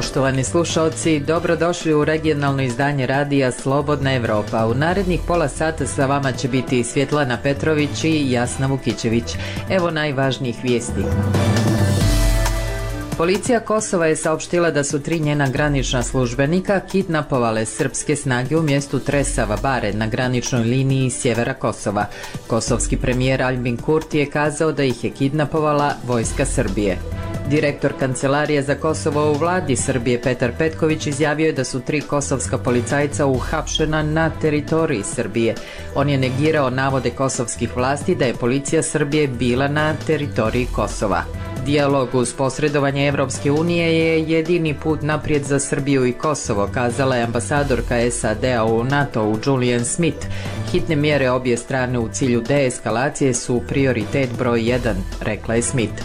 Poštovani slušalci, dobrodošli u regionalno izdanje radija Slobodna Evropa. U narednih pola sata sa vama će biti Svjetlana Petrović i Jasna Vukićević. Evo najvažnijih vijesti. Policija Kosova je saopštila da su 3 njena granična službenika kidnapovale srpske snage u mjestu Tresava Bare na graničnoj liniji sjevera Kosova. Kosovski premijer Albin Kurti je kazao da ih je kidnapovala vojska Srbije. Direktor Kancelarije za Kosovo u vladi Srbije Petar Petković izjavio je da su 3 kosovska policajca uhapšena na teritoriji Srbije. On je negirao navode kosovskih vlasti da je policija Srbije bila na teritoriji Kosova. Dijalog uz posredovanje Evropske unije je jedini put naprijed za Srbiju i Kosovo, kazala je ambasadorka SAD-a u NATO-u Julian Smith. Hitne mjere obje strane u cilju deeskalacije su prioritet broj 1, rekla je Smith.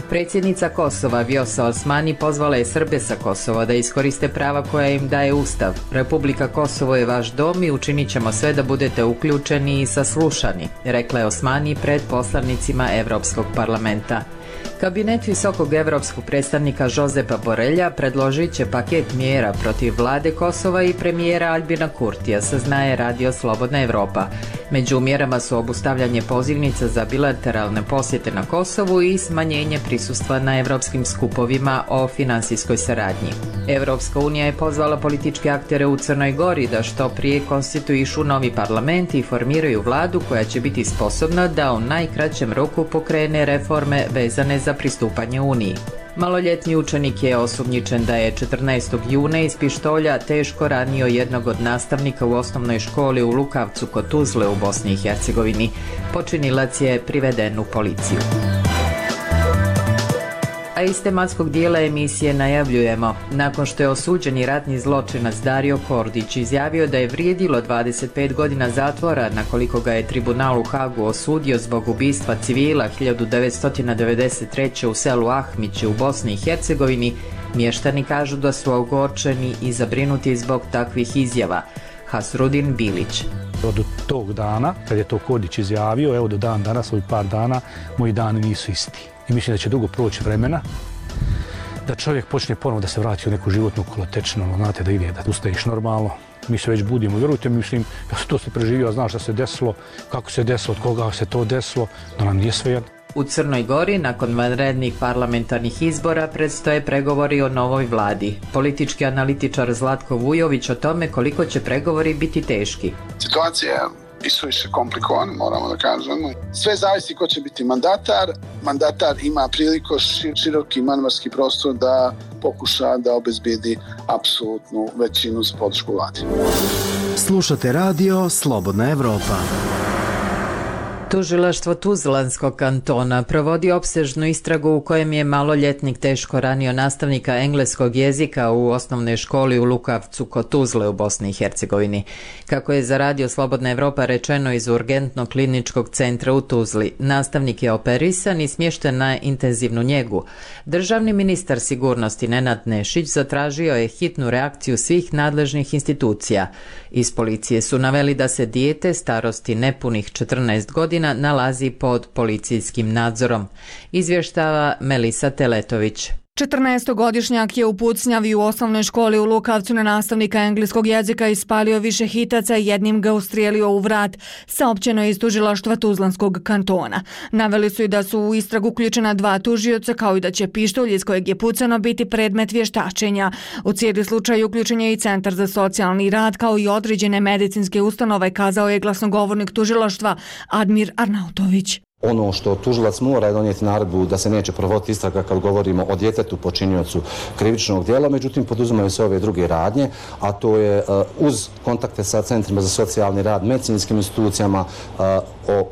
Predsjednica Kosova Vjosa Osmani pozvala je Srbe sa Kosova da iskoriste prava koja im daje Ustav. Republika Kosovo je vaš dom i učinit ćemo sve da budete uključeni i saslušani, rekla je Osmani pred poslanicima Evropskog parlamenta. Kabinet visokog evropskog predstavnika Josepa Borelja predložit će paket mjera protiv vlade Kosova i premijera Albina Kurtija, saznaje radio Slobodna Evropa. Među mjerama su obustavljanje pozivnica za bilateralne posjete na Kosovu i smanjenje prisustva na evropskim skupovima o finansijskoj saradnji. Evropska unija je pozvala političke aktere u Crnoj Gori da što prije konstituišu novi parlament i formiraju vladu koja će biti sposobna da u najkraćem roku pokrene reforme vezane za pristupanje Uniji. Maloljetni učenik je osumnjičen da je 14. juna iz pištolja teško ranio jednog od nastavnika u osnovnoj školi u Lukavcu kod Tuzle u Bosni i Hercegovini. Počinilac je priveden u policiju. A iz tematskog dijela emisije najavljujemo. Nakon što je osuđeni ratni zločinac Dario Kordić izjavio da je vrijedilo 25 godina zatvora na koliko ga je tribunal u Hagu osudio zbog ubistva civila 1993. u selu Ahmići u Bosni i Hercegovini, mještani kažu da su ogorčeni i zabrinuti zbog takvih izjava. Hasrudin Bilić. Od tog dana, kad je to Kordić izjavio, evo do dan danas, ovih par dana, moji dani nisu isti. I mislim da će dugo proći vremena da čovjek počne ponovo da se vrati u neku životnu kolotečinu, znate, da ide, da ustaješ normalno. Mi se već budimo, vjerujte mi, mislim, ja sam to se preživio, znaš šta se desilo, kako se desilo, od koga se to desilo, da nam nije svejedno. U Crnoj Gori, nakon vanrednih parlamentarnih izbora, predstoje pregovori o novoj vladi. Politički analitičar Zlatko Vujović o tome koliko će pregovori biti teški. Situacija i suviše komplikovan, moramo da kažemo. Sve zavisi ko će biti mandatar. Mandatar ima priliku široki manevarski prostor da pokuša da obezbijedi apsolutnu većinu za podršku vladi. Slušate radio Slobodna Evropa. Tužilaštvo Tuzlanskog kantona provodi opsežnu istragu u kojem je maloljetnik teško ranio nastavnika engleskog jezika u osnovnoj školi u Lukavcu kod Tuzle u Bosni i Hercegovini. Kako je za radio Slobodna Evropa rečeno iz urgentnog kliničkog centra u Tuzli, nastavnik je operisan i smješten na intenzivnu njegu. Državni ministar sigurnosti Nenad Nešić zatražio je hitnu reakciju svih nadležnih institucija. Iz policije su naveli da se dijete starosti nepunih 14 godina nalazi pod policijskim nadzorom, izvještava Melisa Teletović. 14-godišnjak je u pucnjavi u osnovnoj školi u Lukavcu na nastavnika engleskog jezika ispalio više hitaca i jednim ga ustrijelio u vrat, saopćeno je iz tužilaštva Tuzlanskog kantona. Naveli su i da su u istragu uključena 2 tužioca, kao i da će pištolj iz kojeg je pucano biti predmet vještačenja. U cijeli slučaj uključen je i Centar za socijalni rad, kao i određene medicinske ustanove, kazao je glasnogovornik tužilaštva Admir Arnautović. Ono što tužilac mora je donijeti naredbu da se neće provoditi istraga kad govorimo o djetetu počiniocu krivičnog djela, međutim poduzimaju se ove druge radnje, a to je uz kontakte sa centrima za socijalni rad, medicinskim institucijama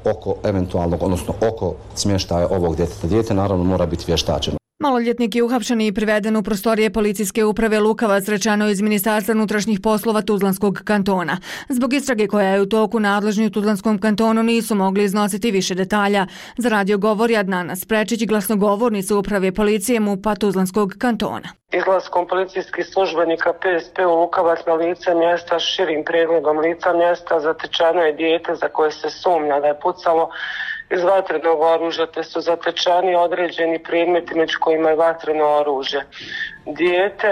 oko eventualnog, odnosno oko smještaja ovog djeteta. Dijete naravno mora biti vještačeno. Maloljetnik je uhapšen i priveden u prostorije policijske uprave Lukavac, rečeno iz Ministarstva unutrašnjih poslova Tuzlanskog kantona. Zbog istrage koja je u toku, nadležni u Tuzlanskom kantonu nisu mogli iznositi više detalja. Za radio govori Adnana Sprečić, glasnogovornica uprave policije MUP-a Tuzlanskog kantona. Izlaskom policijskih službenika PSP u Lukavac na lice mjesta, širim pregledom lica mjesta, zatečeno je dijete za koje se sumnja da je pucalo iz vatrenog oružja, te su zatečani određeni predmeti među kojima je vatreno oružje. Dijete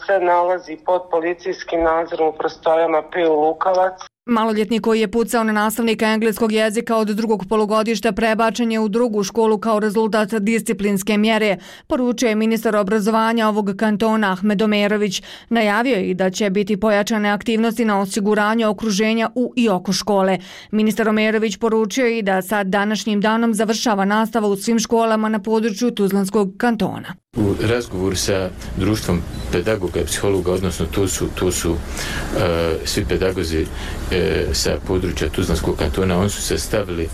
se nalazi pod policijskim nadzorom u prostorijama PU Lukavac. Maloljetnik koji je pucao na nastavnika engleskog jezika od drugog polugodišta prebačen je u drugu školu kao rezultat disciplinske mjere, poručuje ministar obrazovanja ovog kantona Ahmed Omerović. Najavio je i da će biti pojačane aktivnosti na osiguranju okruženja u i oko škole. Ministar Omerović poručio je i da sad današnjim danom završava nastava u svim školama na području Tuzlanskog kantona. U razgovoru sa društvom pedagoga i psihologa, odnosno to su svi pedagozi sa područja Tuzlanskog kantona, oni su se stavili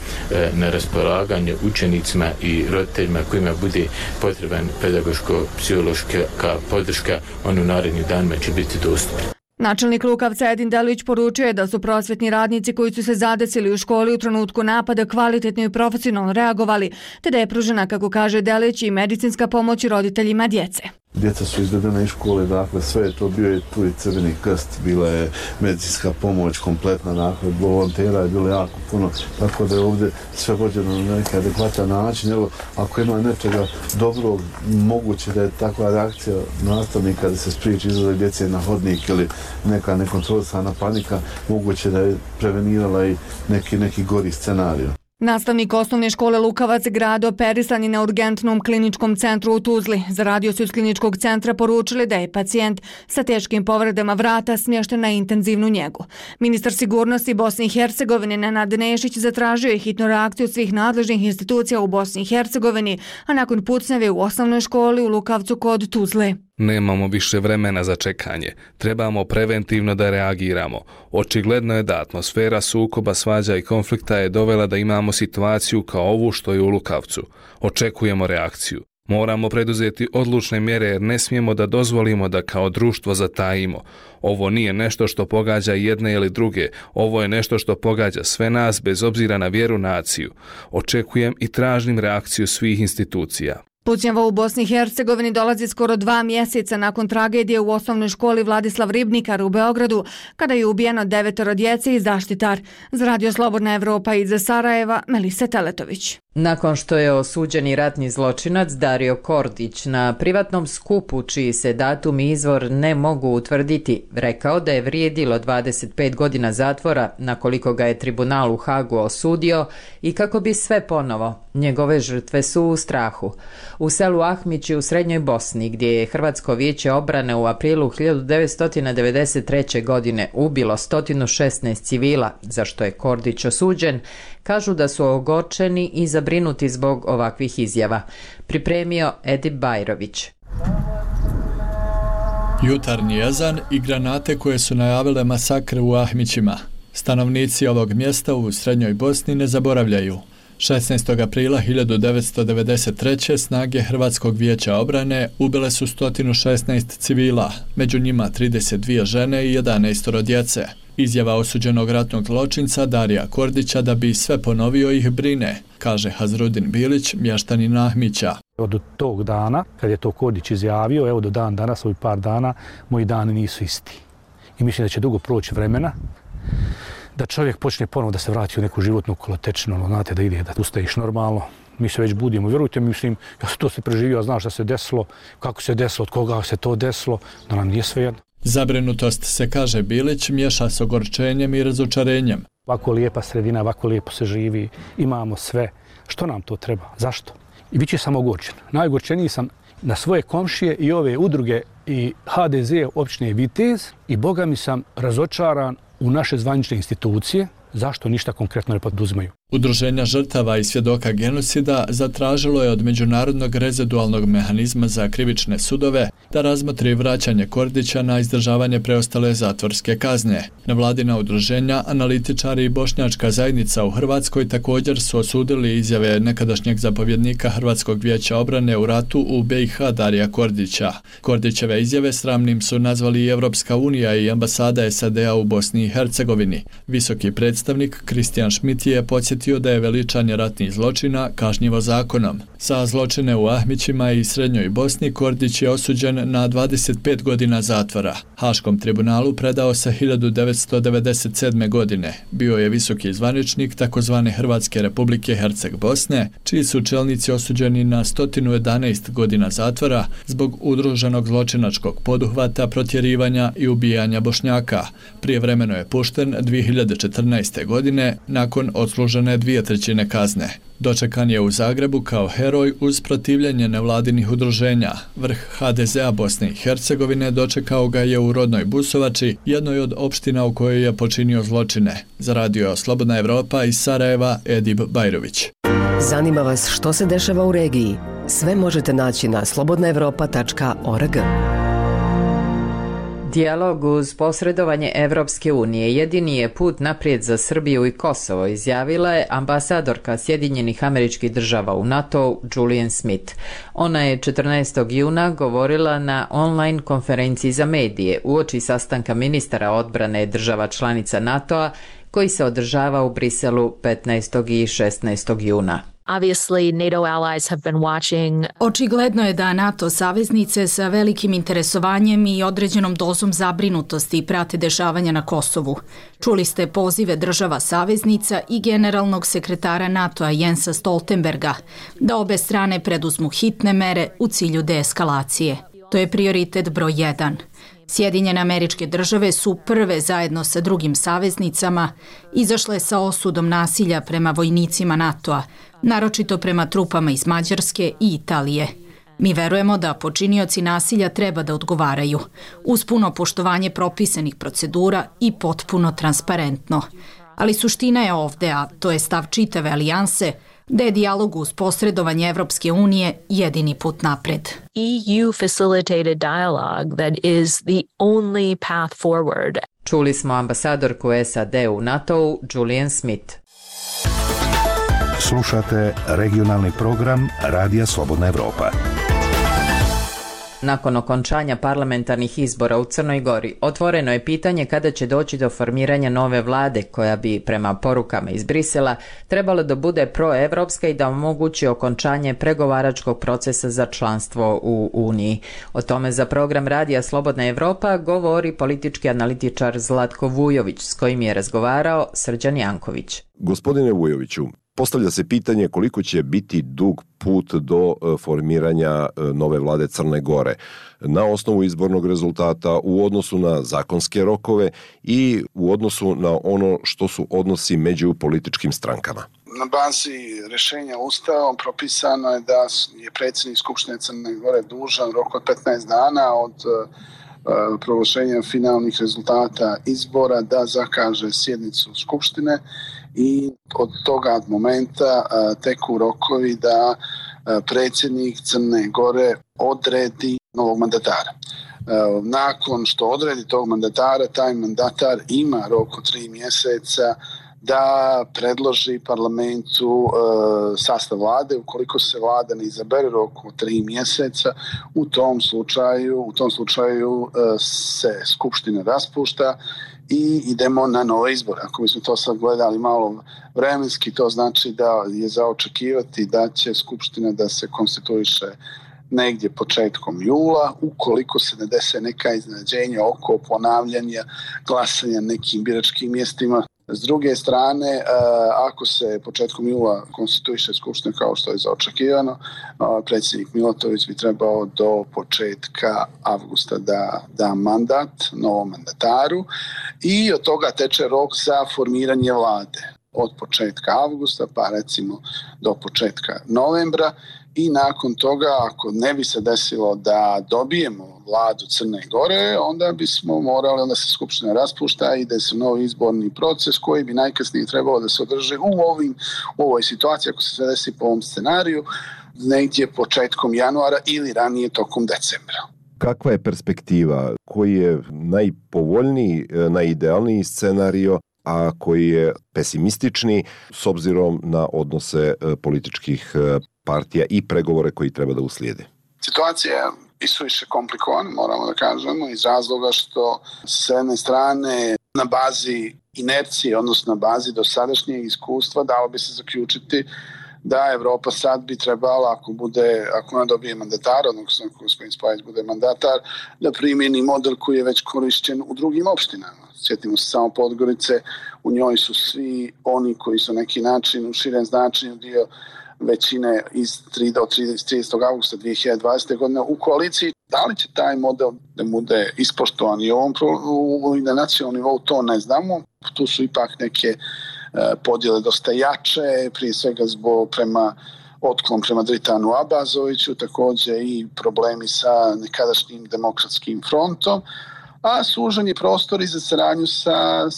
na raspolaganje učenicima i roditeljima kojima bude potreban pedagoško-psihološka podrška, on u narednim danima će biti dostupni. Načelnik Lukavca Edin Delić poručuje da su prosvetni radnici koji su se zadesili u školi u trenutku napada kvalitetno i profesionalno reagovali, te da je pružena, kako kaže Delić, i medicinska pomoć roditeljima djece. Djeca su izvedena iz škole, dakle sve je to, bio je tu i Crveni krst, bila je medicinska pomoć kompletna, dakle volontera je bilo jako puno, tako da je ovdje sve vođeno na neki adekvatan način. Evo, ako ima nečega dobrog, moguće da je takva reakcija nastavnika da se spriječi izlazak djece na hodnik ili neka nekontrolisana panika, moguće da je prevenirala i neki gori scenarij. Nastavnik osnovne škole Lukavac grad operisan je na urgentnom kliničkom centru u Tuzli. Za radio su iz kliničkog centra poručili da je pacijent sa teškim povredama vrata smješten na intenzivnu njegu. Ministar sigurnosti Bosne i Hercegovine Nenad Nešić zatražio je hitnu reakciju svih nadležnih institucija u Bosni i Hercegovini, a nakon pucnjave u osnovnoj školi u Lukavcu kod Tuzle. Nemamo više vremena za čekanje. Trebamo preventivno da reagiramo. Očigledno je da atmosfera sukoba, svađa i konflikta je dovela da imamo situaciju kao ovu što je u Lukavcu. Očekujemo reakciju. Moramo preduzeti odlučne mjere jer ne smijemo da dozvolimo da kao društvo zatajimo. Ovo nije nešto što pogađa jedne ili druge. Ovo je nešto što pogađa sve nas bez obzira na vjeru, naciju. Očekujem i tražim reakciju svih institucija. Pucnjava u Bosni i Hercegovini dolazi skoro 2 mjeseca nakon tragedije u osnovnoj školi Vladislav Ribnikar u Beogradu, kada je ubijeno 9 djece i zaštitar. Za Radio Slobodna Evropa iz Sarajeva, Melisa Teletović. Nakon što je osuđeni ratni zločinac Dario Kordić na privatnom skupu, čiji se datum i izvor ne mogu utvrditi, rekao da je vrijedilo 25 godina zatvora, na koliko ga je tribunal u Hagu osudio, i kako bi sve ponovo, njegove žrtve su u strahu. U selu Ahmići u Srednjoj Bosni, gdje je Hrvatsko vijeće obrane u aprilu 1993. godine ubilo 116 civila, za što je Kordić osuđen, kažu da su ogorčeni i zabrinuti zbog ovakvih izjava. Pripremio Edip Bajrović. Jutarnji ezan i granate koje su najavile masakre u Ahmićima. Stanovnici ovog mjesta u Srednjoj Bosni ne zaboravljaju. 16. aprila 1993. snage Hrvatskog vijeća obrane ubile su 116 civila, među njima 32 žene i 11 djece. Izjava osuđenog ratnog zločinca Darija Kordića da bi sve ponovio ih brine, kaže Hazrudin Bilić, mještanin Ahmića. Od tog dana, kad je to Kordić izjavio, evo do dan danas, ovih par dana, moji dani nisu isti. I mislim da će dugo proći vremena da čovjek počne ponovo da se vrati u neku životnu kolotečinu, znate, da ide, da ustajiš normalno. Mi se već budimo, vjerujte mi, mislim, ja sam to se preživio, znaš šta se desilo, kako se desilo, od koga se to desilo, da nam nije svejedno. Zabrinutost, se kaže Bilić, miješa s ogorčenjem i razočarenjem. Ovako lijepa sredina, ovako lijepo se živi, imamo sve. Što nam to treba? Zašto? I bit će sam ogorčen. Najogorčeniji sam na svoje komšije i ove udruge i HDZ općine Vitez i boga mi sam razočaran u naše zvanične institucije. Zašto ništa konkretno ne poduzimaju? Udruženja žrtava i svjedoka genocida zatražilo je od Međunarodnog rezidualnog mehanizma za krivične sudove da razmotri vraćanje Kordića na izdržavanje preostale zatvorske kazne. Nevladina udruženja, analitičari i bošnjačka zajednica u Hrvatskoj također su osudili izjave nekadašnjeg zapovjednika Hrvatskog vijeća obrane u ratu u BiH Darija Kordića. Kordićeve izjave sramnim su nazvali i Evropska unija i ambasada SAD-a u Bosni i Hercegovini. Visoki predstavnik nastavnik Kristijan Šmit je podsjetio da je veličanje ratnih zločina kažnjivo zakonom. Za zločine u Ahmićima i Srednjoj Bosni Kordić je osuđen na 25 godina zatvora. Haškom tribunalu predao se 1997. godine. Bio je visoki zvaničnik takozvane Hrvatske republike Herceg Bosne, čiji su čelnici osuđeni na 111 godina zatvora zbog udruženog zločinačkog poduhvata, protjerivanja i ubijanja Bošnjaka. Prijevremeno je pušten 2014. godine nakon odslužene 2/3 kazne. Dočekan je u Zagrebu kao heroj uz protivljenje nevladinih udruženja. Vrh HDZ-a Bosne i Hercegovine dočekao ga je u rodnoj Busovači, jednoj od opština u kojoj je počinio zločine. Za radio Slobodna Evropa iz Sarajeva, Edib Bajrović. Zanima vas što se dešava u regiji? Sve možete naći na slobodnaevropa.org. Dijalog uz posredovanje Evropske unije jedini je put naprijed za Srbiju i Kosovo, izjavila je ambasadorka Sjedinjenih Američkih Država u NATO Julian Smith. Ona je 14. juna govorila na online konferenciji za medije uoči sastanka ministara odbrane država članica NATO-a koji se održava u Briselu 15. i 16. juna. Očigledno je da NATO saveznice sa velikim interesovanjem i određenom dozom zabrinutosti prate dešavanja na Kosovu. Čuli ste pozive država saveznica i generalnog sekretara NATO-a Jensa Stoltenberga da obe strane preduzmu hitne mere u cilju deeskalacije. To je prioritet broj 1. Sjedinjene Američke Države su prve zajedno sa drugim saveznicama izašle sa osudom nasilja prema vojnicima NATO-a, naročito prema trupama iz Mađarske i Italije. Mi verujemo da počinioci nasilja treba da odgovaraju, uz puno poštovanje propisanih procedura i potpuno transparentno. Ali suština je ovde, a to je stav čitave alijanse, da je dijalog uz posredovanje Evropske unije jedini put napred. EU facilitated dialogue that is the only path forward. Čuli smo ambasadorku SAD u NATO-u Julian Smith. Slušate regionalni program Radija Slobodna Evropa. Nakon okončanja parlamentarnih izbora u Crnoj Gori, otvoreno je pitanje kada će doći do formiranja nove vlade koja bi, prema porukama iz Brisela, trebalo da bude proevropska i da omogući okončanje pregovaračkog procesa za članstvo u Uniji. O tome za program Radija Slobodna Evropa govori politički analitičar Zlatko Vujović, s kojim je razgovarao Srđan Janković. Gospodine Vujoviću, postavlja se pitanje koliko će biti dug put do formiranja nove vlade Crne Gore na osnovu izbornog rezultata, u odnosu na zakonske rokove i u odnosu na ono što su odnosi među političkim strankama. Na bazi rješenja Ustavom propisano je da je predsjednik Skupštine Crne Gore dužan rok od 15 dana od proglašenja finalnih rezultata izbora da zakaže sjednicu Skupštine i od toga momenta teku rokovi da predsjednik Crne Gore odredi novog mandatara. Nakon što odredi tog mandatara, taj mandatar ima rok od 3 mjeseca da predloži parlamentu sastav vlade. Ukoliko se vlada ne izabere roku 3 mjeseca, u tom slučaju se skupština raspušta i idemo na nove izbore. Ako bismo to sad gledali malo vremenski, to znači da je za očekivati da će skupština da se konstituiše negdje početkom jula, ukoliko se ne dese neka iznenađenja oko ponavljanja glasanja nekim biračkim mjestima. S druge strane, ako se početkom jula konstituiše skupština kao što je zaočekivano, predsjednik Milatović bi trebao do početka avgusta da mandat novom mandataru i od toga teče rok za formiranje vlade od početka avgusta pa recimo do početka novembra. I nakon toga, ako ne bi se desilo da dobijemo vladu Crne Gore, onda se skupština raspušta i ide se novi izborni proces koji bi najkasnije trebalo da se održi u ovoj situaciji, ako se sve desi po ovom scenariju, negdje početkom januara ili ranije tokom decembra. Kakva je perspektiva? Koji je najpovoljniji, najidealniji scenario, a koji je pesimistični s obzirom na odnose političkih partija i pregovore koji treba da uslijede? Situacija je isuviše komplikovana, moramo da kažemo, iz razloga što s jedne strane na bazi inercije, odnosno na bazi dosadašnjeg iskustva, dalo bi se zaključiti da Evropa sad bi trebala, ako ona dobije mandatar, odnosno ako gospodin Spajić bude mandatar, da primjeni model koji je već korišćen u drugim opštinama. Sjetimo se samo Podgorice, u njoj su svi oni koji su neki način u širem značenju dio većine do 30. augusta 2020. godine u koaliciji. Da li će taj model da bude ispoštovan i na nacionalnom nivou, to ne znamo. Tu su ipak neke podjele dosta jače, prije svega otklon prema Dritanu Abazoviću, također i problemi sa nekadašnjim demokratskim frontom, a sužen je prostor i za saradnju sa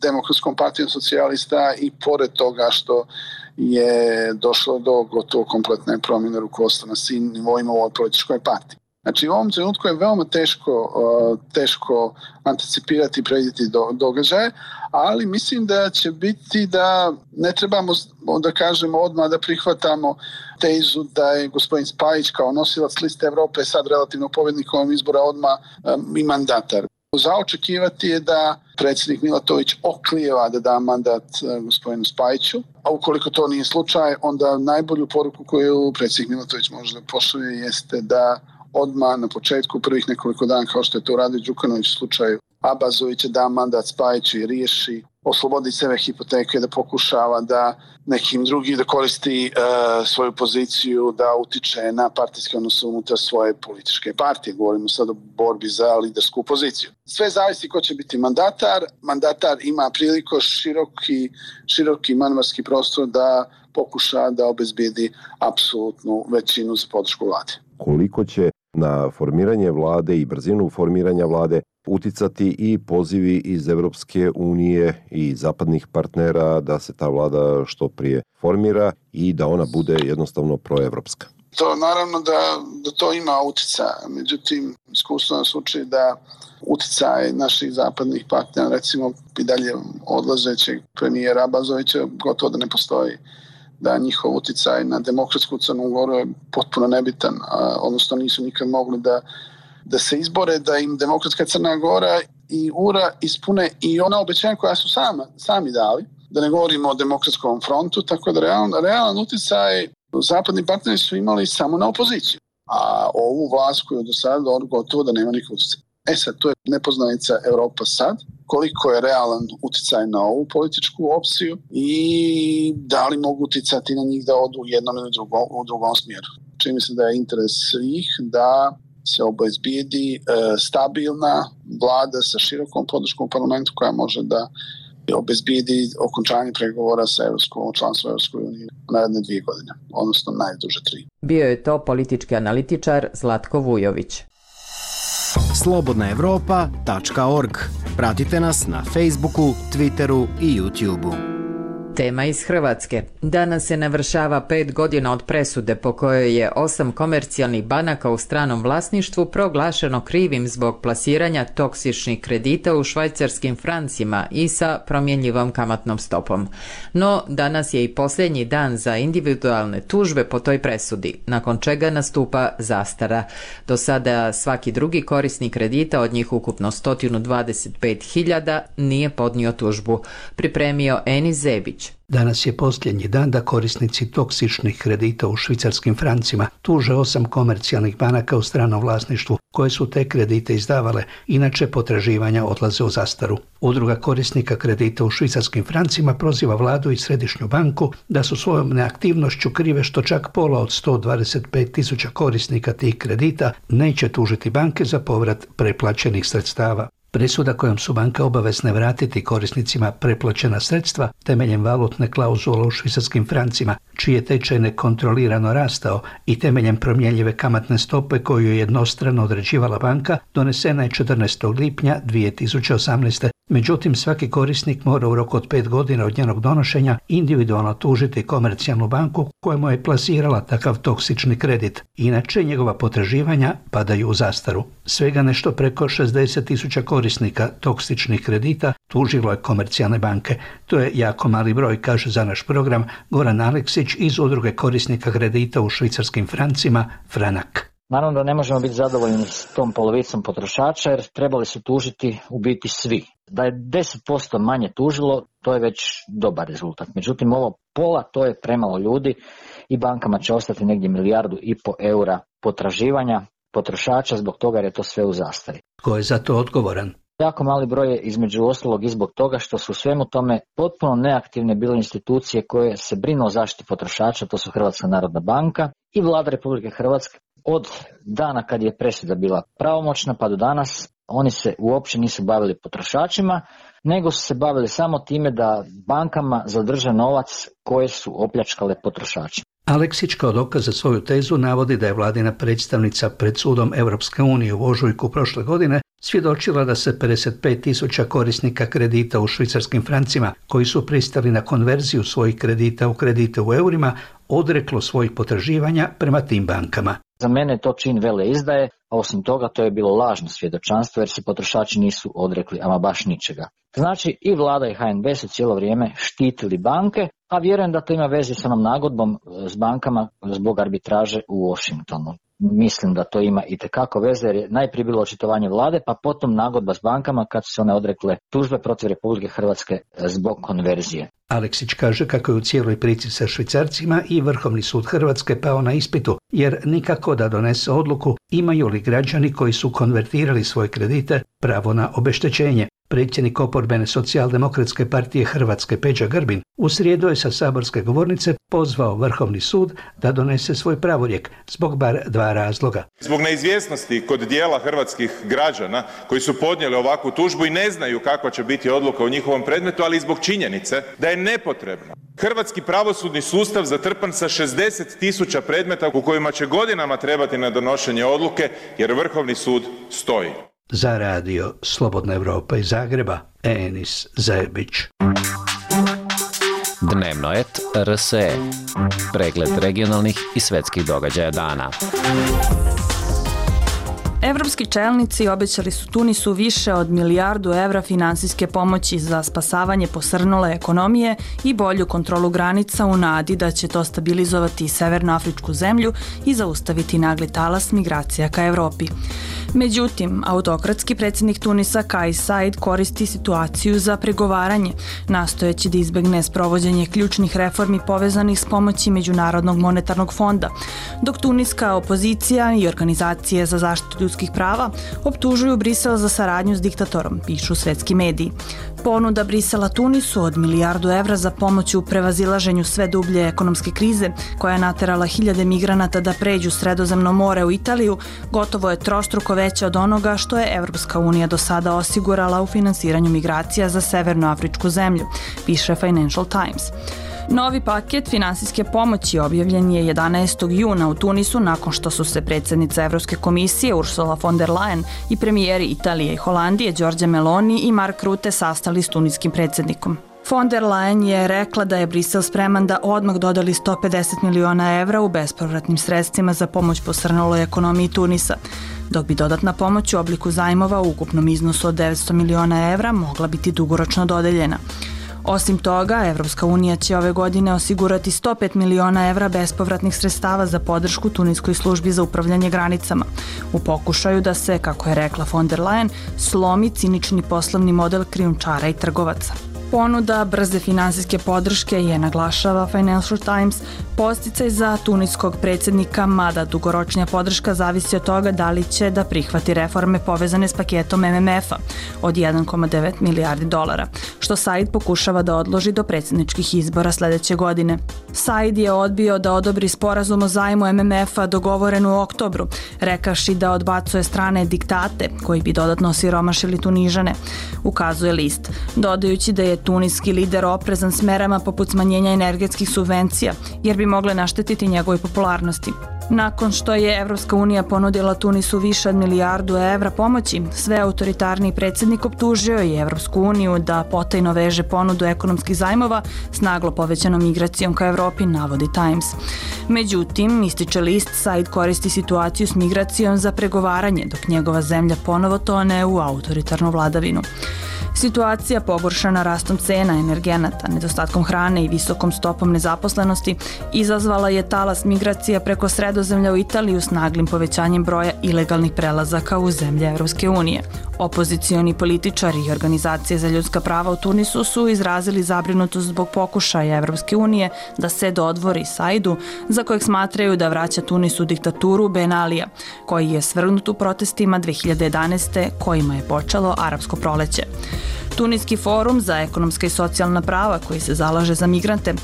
Demokratskom partijom socijalista i pored toga što je došlo do gotovo kompletne promjene rukovodstva na svim nivoima u ovoj političkoj partiji. Znači u ovom trenutku je veoma teško anticipirati i predvidjeti događaje, ali mislim da će biti da ne trebamo da kažemo odmah da prihvatamo tezu da je gospodin Spajić kao nosilac liste Evrope sad relativno pobjednik ovog izbora odmah i mandatar. Za očekivati je da predsjednik Milatović oklijeva da da mandat gospodinu Spajiću, a ukoliko to nije slučaj, onda najbolju poruku koju predsjednik Milatović može da pošalje jeste da odmah na početku prvih nekoliko dana, kao što je to uradio Đukanović u slučaju Abazovića, da mandat Spajiću i riješi, oslobodi sebe hipoteke, da pokušava da nekim drugim da koristi svoju poziciju, da utiče na partijske odnose unutar svoje političke partije. Govorimo sad o borbi za lidersku poziciju. Sve zavisi ko će biti mandatar. Mandatar ima priliku široki manevarski prostor da pokuša da obezbijedi apsolutnu većinu za podršku vlade. Koliko će na formiranje vlade i brzinu formiranja vlade uticati i pozivi iz Evropske unije i zapadnih partnera da se ta vlada što prije formira i da ona bude jednostavno proevropska? To naravno da to ima utjecaja. Međutim, iskustvo nas uči da utjecaj naših zapadnih partnera, recimo i dalje odlazećeg premijera Abazovića, gotovo da ne postoji. Da njihov utjecaj na demokratsku Crnu Goru je potpuno nebitan, odnosno nisu nikad mogli da se izbore, da im demokratska Crna Gora i URA ispune i ona obećanja koja su sami dali, da ne govorimo o demokratskom frontu, tako da realan utjecaj zapadni partneri su imali samo na opoziciju, a ovu vlast koju do sada gotovo da nema nikog utjecaja. Sad, to je nepoznanica Evropa sad, koliko je realan utjecaj na ovu političku opciju i da li mogu utjecati na njih da odu u jednom ili u drugom smjeru. Čini mi se da je interes svih da se obezbijedi stabilna vlada sa širokom podrškom u parlamentu koja može da obezbijedi okončanje pregovora sa članstvom Evropskoj uniji naredne 2 godine, odnosno najduže 3. Bio je to politički analitičar Zlatko Vujović. slobodnaevropa.org. Pratite nas na Facebooku, Twitteru i YouTubeu. Tema iz Hrvatske. Danas se navršava 5 godina od presude po kojoj je 8 komercijalnih banaka u stranom vlasništvu proglašeno krivim zbog plasiranja toksičnih kredita u švajcarskim francima i sa promjenjivom kamatnom stopom. No, danas je i posljednji dan za individualne tužbe po toj presudi, nakon čega nastupa zastara. Do sada svaki drugi korisnik kredita, od njih ukupno 125.000, nije podnio tužbu. Pripremio Enis Zebić. Danas je posljednji dan da korisnici toksičnih kredita u švicarskim francima tuže 8 komercijalnih banaka u stranom vlasništvu koje su te kredite izdavale, inače potraživanja odlaze u zastaru. Udruga korisnika kredita u švicarskim francima proziva vladu i središnju banku da su svojom neaktivnošću krive što čak pola od 125.000 korisnika tih kredita neće tužiti banke za povrat preplaćenih sredstava. Presuda kojom su banke obavezne vratiti korisnicima preplaćena sredstva temeljem valutne klauzule u švicarskim francima, čiji je tečaj nekontrolirano rastao, i temeljem promjenjive kamatne stope koju je jednostrano određivala banka, donesena je 14. lipnja 2018. Međutim, svaki korisnik mora u roku od 5 godina od njenog donošenja individualno tužiti komercijalnu banku kojemu je plasirala takav toksični kredit. Inače, njegova potraživanja padaju u zastaru. Svega nešto preko 60.000 korisnika toksičnih kredita tužilo je komercijalne banke. To je jako mali broj, kaže za naš program Goran Aleksić iz Udruge korisnika kredita u švicarskim francima Franak. Naravno da ne možemo biti zadovoljni s tom polovicom potrošača jer trebali su tužiti u biti svi. Da je 10% manje tužilo, to je već dobar rezultat. Međutim, ovo pola, to je premalo ljudi i bankama će ostati negdje 1,5 milijardu eura potraživanja potrošača zbog toga jer je to sve u zastari. Tko je za to odgovoran? Jako mali broj je između ostalog i zbog toga što su u svemu tome potpuno neaktivne bile institucije koje se brinu o zaštiti potrošača, to su Hrvatska narodna banka i Vlada Republike Hrvatske. Od dana kad je presuda bila pravomoćna pa do danas oni se uopće nisu bavili potrošačima, nego su se bavili samo time da bankama zadrže novac koje su opljačkale potrošače. Aleksić kao dokaz za svoju tezu navodi da je vladina predstavnica pred sudom Europske unije u ožujku prošle godine svjedočila da se 55.000 korisnika kredita u švicarskim francima koji su pristali na konverziju svojih kredita u kredite u eurima odreklo svojih potraživanja prema tim bankama. Za mene je to čin veleizdaje, a osim toga to je bilo lažno svjedočanstvo jer se potrošači nisu odrekli ama baš ničega. Znači i vlada i HNB su cijelo vrijeme štitili banke, a vjerujem da to ima veze s onom nagodbom s bankama zbog arbitraže u Washingtonu. Mislim da to ima itekako veze jer je najprije bilo očitovanje vlade, pa potom nagodba s bankama kad su se one odrekle tužbe protiv Republike Hrvatske zbog konverzije. Aleksić kaže kako je u cijeloj priči sa švicarcima i Vrhovni sud Hrvatske pao na ispitu, jer nikako da donese odluku imaju li građani koji su konvertirali svoje kredite pravo na obeštećenje. Predsjednik oporbene socijaldemokratske partije Hrvatske Peđa Grbin u srijedu je sa saborske govornice pozvao Vrhovni sud da donese svoj pravorijek zbog bar 2 razloga. Zbog neizvjesnosti kod dijela hrvatskih građana koji su podnijeli ovakvu tužbu i ne znaju kakva će biti odluka u njihovom predmetu, ali i zbog činjenice da je nepotrebno hrvatski pravosudni sustav zatrpan sa 60.000 predmeta u kojima će godinama trebati na donošenje odluke jer Vrhovni sud stoji. Za radio Slobodna Evropa iz Zagreba, Enis Zajebić. Dnevnoet RSE. Pregled regionalnih i svetskih događaja dana. Evropski čelnici obećali su Tunisu više od 1 milijardu evra finansijske pomoći za spasavanje posrnule ekonomije i bolju kontrolu granica u nadi da će to stabilizovati severnoafričku zemlju i zaustaviti nagli talas migracija ka Evropi. Međutim, autokratski predsjednik Tunisa Kais Saied koristi situaciju za pregovaranje, nastojeći da izbegne sprovođenje ključnih reformi povezanih s pomoći Međunarodnog monetarnog fonda, dok tuniska opozicija i organizacije za zaštitu ljudskih prava optužuju Brisel za saradnju s diktatorom, pišu svetski mediji. Ponuda Brisela Tunisu od 1 milijardu evra za pomoć u prevazilaženju sve dublje ekonomske krize, koja je naterala hiljade migranata da pređu Sredozemno more u Italiju, gotovo je trostruko veća od onoga što je Evropska unija do sada osigurala u finansiranju migracija za severnoafričku zemlju, piše Financial Times. Novi paket finansijske pomoći objavljen je 11. juna u Tunisu nakon što su se predsjednica Evropske komisije Ursula von der Leyen i premijeri Italije i Holandije Giorgia Meloni i Mark Rutte sastali s tuniskim predsjednikom. Von der Leyen je rekla da je Brisel spreman da odmah dodali 150 miliona evra u bespovratnim sredstvima za pomoć posrnuloj ekonomiji Tunisa, dok bi dodatna pomoć u obliku zajmova u ukupnom iznosu od 900 miliona evra mogla biti dugoročno dodeljena. Osim toga, Evropska unija će ove godine osigurati 105 miliona evra bespovratnih sredstava za podršku Tuniskoj službi za upravljanje granicama, u pokušaju da se, kako je rekla von der Leyen, slomi cinični poslovni model krijumčara i trgovaca. Ponuda brze finansijske podrške je, naglašava Financial Times, podsticaj za tuniskog predsjednika, mada dugoročnija podrška zavisi od toga da li će da prihvati reforme povezane s paketom MMF-a od 1,9 milijardi dolara, što Saied pokušava da odloži do predsjedničkih izbora sljedeće godine. Saied je odbio da odobri sporazum o zajmu MMF-a dogovoren u oktobru, rekavši da odbacuje strane diktate koji bi dodatno osiromašili Tunižane, ukazuje list, dodajući da je tuniski lider oprezan s merama poput smanjenja energetskih subvencija, jer bi mogle naštetiti njegovoj popularnosti. Nakon što je Evropska unija ponudila Tunisu više od 1 milijardu evra pomoći, sve autoritarni predsjednik optužio je Evropsku uniju da potajno veže ponudu ekonomskih zajmova s naglo povećanom migracijom ka Evropi, navodi Times. Međutim, ističe list, Saied koristi situaciju s migracijom za pregovaranje, dok njegova zemlja ponovo tone u autoritarnu vladavinu. Situacija pogoršana rastom cena energenata, nedostatkom hrane i visokom stopom nezaposlenosti izazvala je talas migracija preko Sredozemlja u Italiju s naglim povećanjem broja ilegalnih prelazaka u zemlje Evropske unije. Opozicioni političari i organizacije za ljudska prava u Tunisu su izrazili zabrinutost zbog pokušaja Evropske unije da se dodvori Saidu, za kojeg smatraju da vraća Tunisu diktaturu Ben Alija, koji je svrgnut u protestima 2011. kojima je počelo arapsko proleće. Tuniski forum za ekonomska i socijalna prava, koji se zalaže za migrante,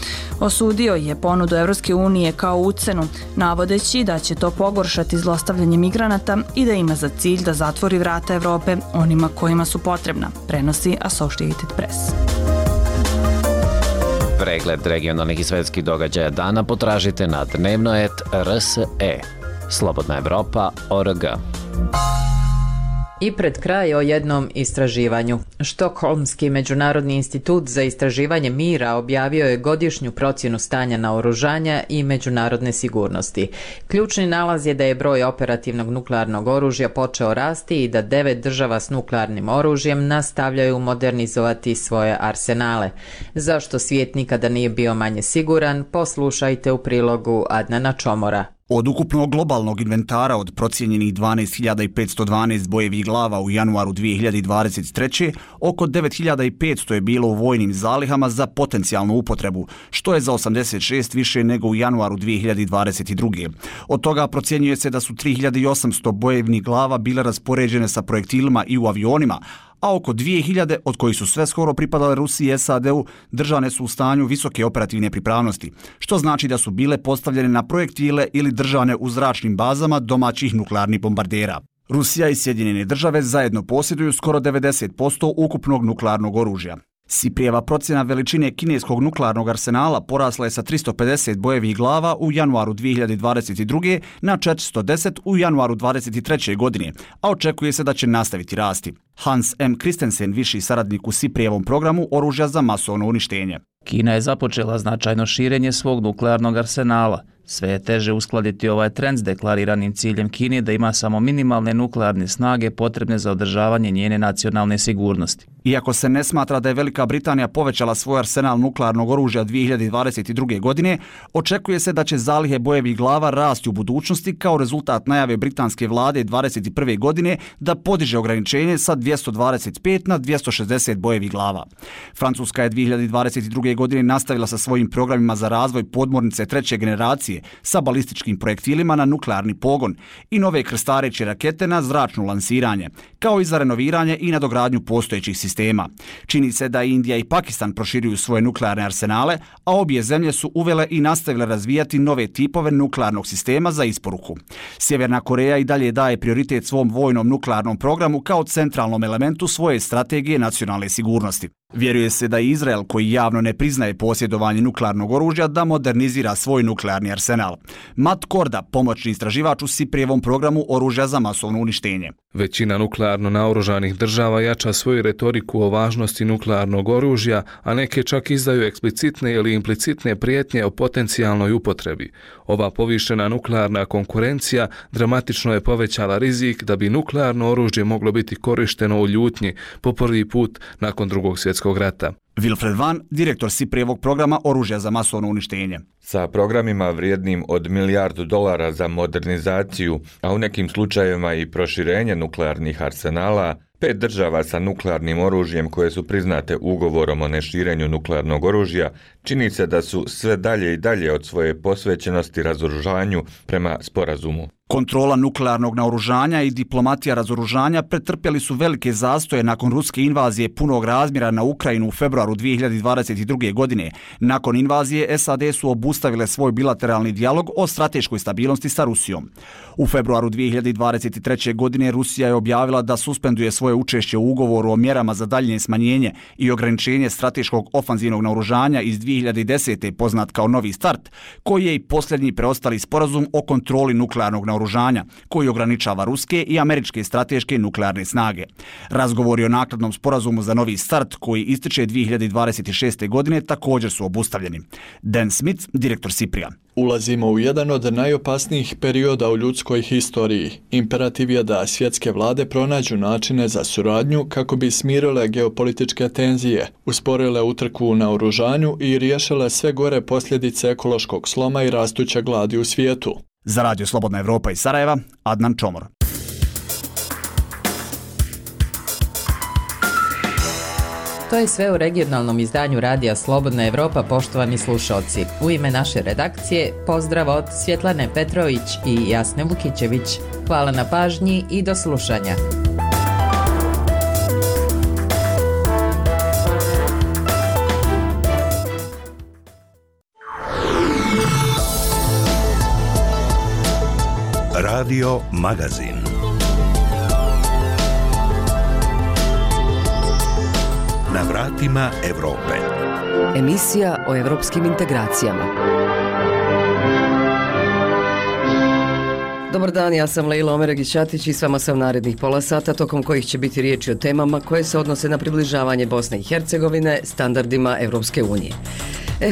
osudio je ponudu Evropske unije kao ucenu, navodeći da će to pogoršati zlostavljanje migranata i da ima za cilj da zatvori vrata Evrope onima kojima su potrebna, prenosi Associated Press. Pregled regionalnih i svetskih događaja dana potražite na dnevnoet.rse. slobodnaevropa.org. I pred kraj o jednom istraživanju. Štokholmski međunarodni institut za istraživanje mira objavio je godišnju procjenu stanja naoružanja i međunarodne sigurnosti. Ključni nalaz je da je broj operativnog nuklearnog oružja počeo rasti i da 9 država s nuklearnim oružjem nastavljaju modernizovati svoje arsenale. Zašto svijet nikada nije bio manje siguran, poslušajte u prilogu Adnana Čomora. Od ukupnog globalnog inventara od procijenjenih 12.512 bojevih glava u januaru 2023. oko 9.500 je bilo u vojnim zalihama za potencijalnu upotrebu, što je za 86 više nego u januaru 2022. Od toga procjenjuje se da su 3.800 bojevnih glava bile raspoređene sa projektilima i u avionima, a oko 2.000, od kojih su sve skoro pripadale Rusiji i SAD-u, držane su u stanju visoke operativne pripravnosti, što znači da su bile postavljene na projektile ili držane u zračnim bazama domaćih nuklearnih bombardera. Rusija i Sjedinjene države zajedno posjeduju skoro 90% ukupnog nuklearnog oružja. Siprijeva procjena veličine kineskog nuklearnog arsenala porasla je sa 350 bojevih glava u januaru 2022. na 410 u januaru 2023. godine, a očekuje se da će nastaviti rasti. Hans M. Christensen, viši saradnik u Siprijevom programu oružja za masovno uništenje. Kina je započela značajno širenje svog nuklearnog arsenala. Sve je teže uskladiti ovaj trend s deklariranim ciljem Kine da ima samo minimalne nuklearne snage potrebne za održavanje njene nacionalne sigurnosti. Iako se ne smatra da je Velika Britanija povećala svoj arsenal nuklearnog oružja 2022. godine, očekuje se da će zalihe bojevih glava rasti u budućnosti kao rezultat najave britanske vlade 2021. godine da podiže ograničenje sa 225 na 260 bojevih glava. Francuska je 2022. godine nastavila sa svojim programima za razvoj podmornice treće generacije sa balističkim projektilima na nuklearni pogon i nove krstareće rakete na zračno lansiranje, kao i za renoviranje i nadogradnju postojećih sistema. Čini se da Indija i Pakistan proširuju svoje nuklearne arsenale, a obje zemlje su uvele i nastavile razvijati nove tipove nuklearnog sistema za isporuku. Sjeverna Koreja i dalje daje prioritet svom vojnom nuklearnom programu kao centralnom elementu svoje strategije nacionalne sigurnosti. Vjeruje se da Izrael, koji javno ne priznaje posjedovanje nuklearnog oružja, da modernizira svoj nuklearni arsenal. Matt Korda, pomoćni istraživač u Siprijevom programu oružja za masovno uništenje. Većina nuklearno naoružanih država jača svoju retoriku o važnosti nuklearnog oružja, a neke čak izdaju eksplicitne ili implicitne prijetnje o potencijalnoj upotrebi. Ova povišena nuklearna konkurencija dramatično je povećala rizik da bi nuklearno oružje moglo biti korišteno u ljutnji po prvi put nakon Drugog svjetskog rata. Wilfred Van, direktor Siprijevog programa oružja za masovno uništenje. Sa programima vrijednim od $1 milijardu za modernizaciju, a u nekim slučajevima i proširenje nuklearnih arsenala, 5 država sa nuklearnim oružjem koje su priznate ugovorom o neširenju nuklearnog oružja, čini se da su sve dalje i dalje od svoje posvećenosti razoružanju prema sporazumu. Kontrola nuklearnog naoružanja i diplomatija razoružanja pretrpjeli su velike zastoje nakon ruske invazije punog razmjera na Ukrajinu u februaru 2022. godine. Nakon invazije SAD su obustavile svoj bilateralni dijalog o strateškoj stabilnosti sa Rusijom. U februaru 2023. godine Rusija je objavila da suspenduje svoje učešće u ugovoru o mjerama za daljnje smanjenje i ograničenje strateškog ofanzivnog naoružanja iz 2010. poznat kao Novi start, koji je i posljednji preostali sporazum o kontroli nuklearnog naoružanja, koji ograničava ruske i američke strateške nuklearne snage. Razgovori o naknadnom sporazumu za Novi start, koji ističe 2026. godine, također su obustavljeni. Dan Smith, direktor Siprija. Ulazimo u jedan od najopasnijih perioda u ljudskoj historiji. Imperativ je da svjetske vlade pronađu načine za suradnju kako bi smirile geopolitičke tenzije, usporile utrku u naoružanju i riješile sve gore posljedice ekološkog sloma i rastuće gladi u svijetu. Za Radio Slobodna Evropa iz Sarajeva, Adnan Čomor. To je sve u regionalnom izdanju Radija Slobodna Evropa, poštovani slušalci. U ime naše redakcije pozdrav od Svjetlane Petrović i Jasne Vukićević. Hvala na pažnji i do slušanja. Radio Magazin. Na vratima Evrope. Emisija o evropskim integracijama. Dobar dan, ja sam Lejla Omeregić-Ćatić i s vama sam narednih pola sata, tokom kojih će biti riječi o temama koje se odnose na približavanje Bosne i Hercegovine standardima Evropske unije.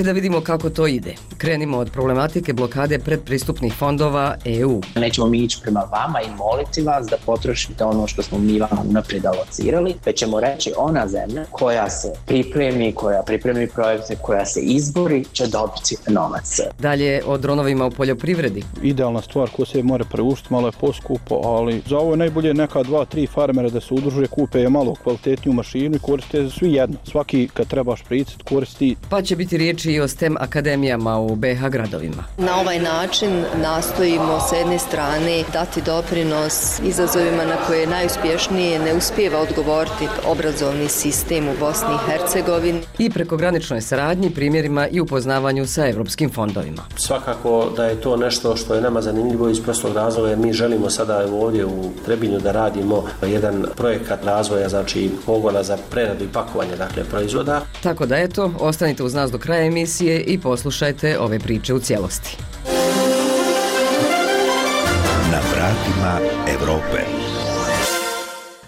Da vidimo kako to ide. Krenimo od problematike blokade predpristupnih fondova EU. Nećemo mi ići prema vama i moliti vas da potrošite ono što smo mi vam unaprijed alocirali, već ćemo reći ona zemlja koja se pripremi projekte, koja se izbori, će dobiti novac. Dalje o dronovima u poljoprivredi. Idealna stvar ko se mora preuštiti, malo je poskupo, ali za ovo je najbolje neka 2-3 farmera da se udruže, kupe je malo kvalitetniju mašinu i koriste svi jedno. Svaki kad treba špricit koristi. Pa će biti riječi i o STEM akademijama u BiH gradovima. Na ovaj način nastojimo s jedne strane dati doprinos izazovima na koje najuspješnije ne uspijeva odgovoriti obrazovni sistem u Bosni i Hercegovini. I prekograničnoj saradnji, primjerima i upoznavanju sa evropskim fondovima. Svakako da je to nešto što je nama zanimljivo iz prostog razloga, jer mi želimo sada ovdje u Trebinju da radimo jedan projekat razvoja, znači pogona za preradu i pakovanje, dakle proizvoda. Tako da eto, ostanite uz nas do kraja emisije i poslušajte ove priče u cijelosti. Na vratima Evrope.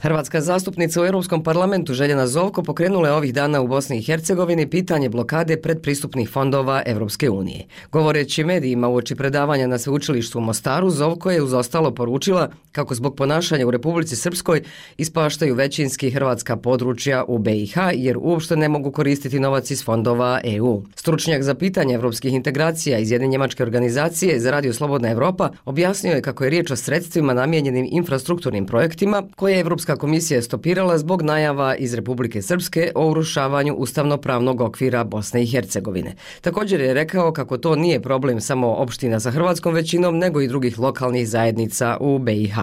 Hrvatska zastupnica u Europskom parlamentu Željana Zovko pokrenula je ovih dana u Bosni i Hercegovini pitanje blokade predpristupnih fondova Evropske unije. Govoreći medijima uoči predavanja na sveučilištu u Mostaru, Zovko je uz ostalo poručila kako zbog ponašanja u Republici Srpskoj ispaštaju većinski hrvatska područja u BiH jer uopšte ne mogu koristiti novac iz fondova EU. Stručnjak za pitanje evropskih integracija iz jedne njemačke organizacije za Radio Slobodna Evropa objasnio je kako je riječ o sredstvima namijenjenim infrastrukturnim projektima koje je Evropska komisija stopirala zbog najava iz Republike Srpske o urušavanju ustavno-pravnog okvira Bosne i Hercegovine. Također je rekao kako to nije problem samo opština sa hrvatskom većinom, nego i drugih lokalnih zajednica u BiH.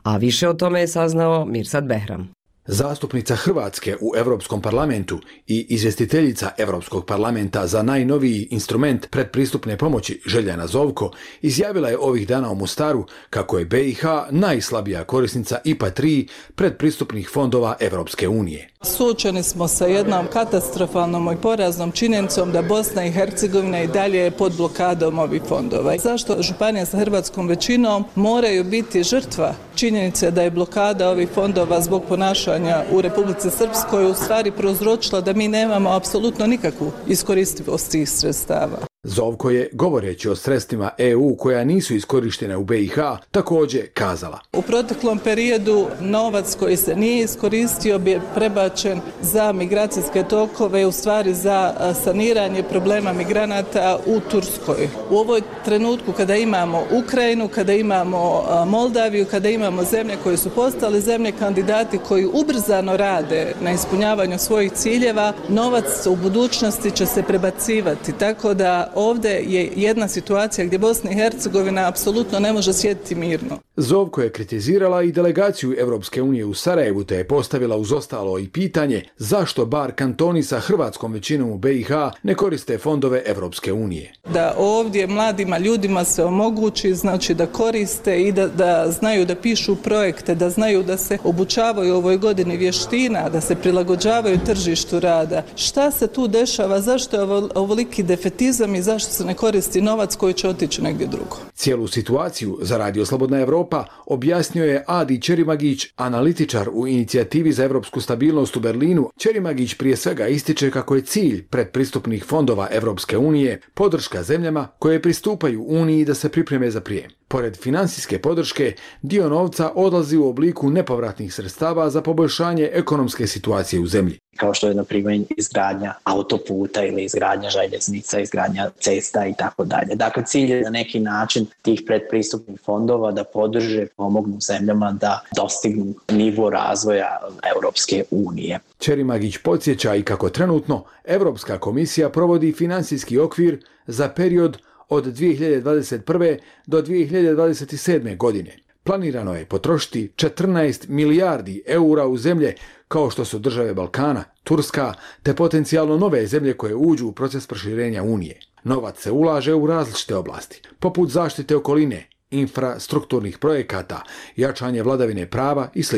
A više o tome je saznao Mirsad Behram. Zastupnica Hrvatske u Europskom parlamentu i izvjestiteljica Europskog parlamenta za najnoviji instrument predpristupne pomoći Željana Zovko izjavila je ovih dana u Mostaru kako je BiH najslabija korisnica IPA 3 predpristupnih fondova Evropske unije. Suočeni smo sa jednom katastrofalnom i poraznom činjenicom da Bosna i Hercegovina i dalje je pod blokadom ovih fondova. Zašto županije sa hrvatskom većinom moraju biti žrtva činjenice da je blokada ovih fondova zbog ponašanja u Republici Srpskoj u stvari prouzročila da mi nemamo apsolutno nikakvu iskoristivost tih sredstava. Zovko je, govoreći o sredstvima EU koja nisu iskorištene u BiH, također kazala: U proteklom periodu novac koji se nije iskoristio bi prebačen za migracijske tokove, u stvari za saniranje problema migranata u Turskoj. U ovoj trenutku kada imamo Ukrajinu, kada imamo Moldaviju, kada imamo zemlje koje su postale zemlje kandidati koji ubrzano rade na ispunjavanju svojih ciljeva, novac u budućnosti će se prebacivati, tako da ovdje je jedna situacija gdje Bosna i Hercegovina apsolutno ne može sjediti mirno. Zovko je kritizirala i delegaciju Evropske unije u Sarajevu te je postavila uz ostalo i pitanje zašto bar kantoni sa hrvatskom većinom u BiH ne koriste fondove Evropske unije. Da ovdje mladima ljudima se omogući, znači da koriste i da znaju da pišu projekte, da znaju da se obučavaju u ovoj godini vještina, da se prilagođavaju tržištu rada. Šta se tu dešava, zašto je ovoliki defetizam i zašto se ne koristi novac koji će otići negdje drugo? Cijelu situaciju za Radio Slobodna Evropa objasnio je Adi Čerimagić, analitičar u inicijativi za evropsku stabilnost u Berlinu. Čerimagić prije svega ističe kako je cilj predpristupnih fondova Evropske unije podrška zemljama koje pristupaju Uniji da se pripreme za prijem. Pored financijske podrške, dio novca odlazi u obliku nepovratnih sredstava za poboljšanje ekonomske situacije u zemlji. Kao što je, na primjer, izgradnja autoputa ili izgradnja željeznica, izgradnja cesta i tako dalje. Dakle, cilj je na neki način tih predpristupnih fondova da podrže, pomognu zemljama da dostignu nivo razvoja Europske unije. Čerimagić podsjeća i kako trenutno Europska komisija provodi financijski okvir za period od 2021. do 2027. godine. Planirano je potrošiti 14 milijardi eura u zemlje kao što su države Balkana, Turska, te potencijalno nove zemlje koje uđu u proces proširenja Unije. Novac se ulaže u različite oblasti, poput zaštite okoline, infrastrukturnih projekata, jačanje vladavine prava i sl.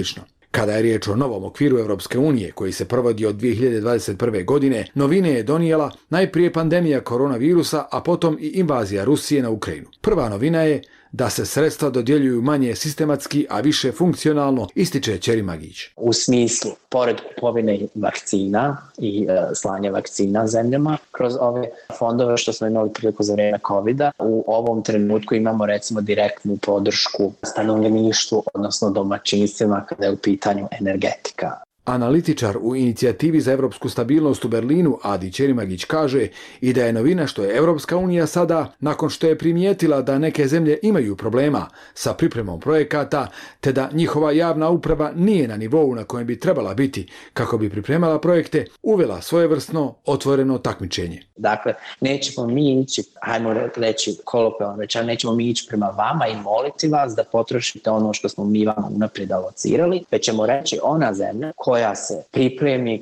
Kada je riječ o novom okviru Europske unije koji se provodi od 2021. godine, novine je donijela najprije pandemija koronavirusa, a potom i invazija Rusije na Ukrajinu. Prva novina je da se sredstva dodjeljuju manje sistematski, a više funkcionalno, ističe Čerimagić. U smislu, pored kupovine vakcina i slanja vakcina zemljama kroz ove fondove što smo imali priliku za vrijeme COVID-a, u ovom trenutku imamo recimo direktnu podršku stanovništvu, odnosno domaćinstvima kada je u pitanju energetika. Analitičar u inicijativi za europsku stabilnost u Berlinu, Adi Čerimagić, kaže i da je novina što je Europska unija sada, nakon što je primijetila da neke zemlje imaju problema sa pripremom projekata, te da njihova javna uprava nije na nivou na kojem bi trebala biti kako bi pripremala projekte, uvela svojevrsno otvoreno takmičenje. Dakle, nećemo mi ići, hajmo reći kolokvijalno rečeno, nećemo mi ići prema vama i moliti vas da potrošite ono što smo mi vama unaprijed alocirali, već ćemo reći ona zemlja koja se pripremi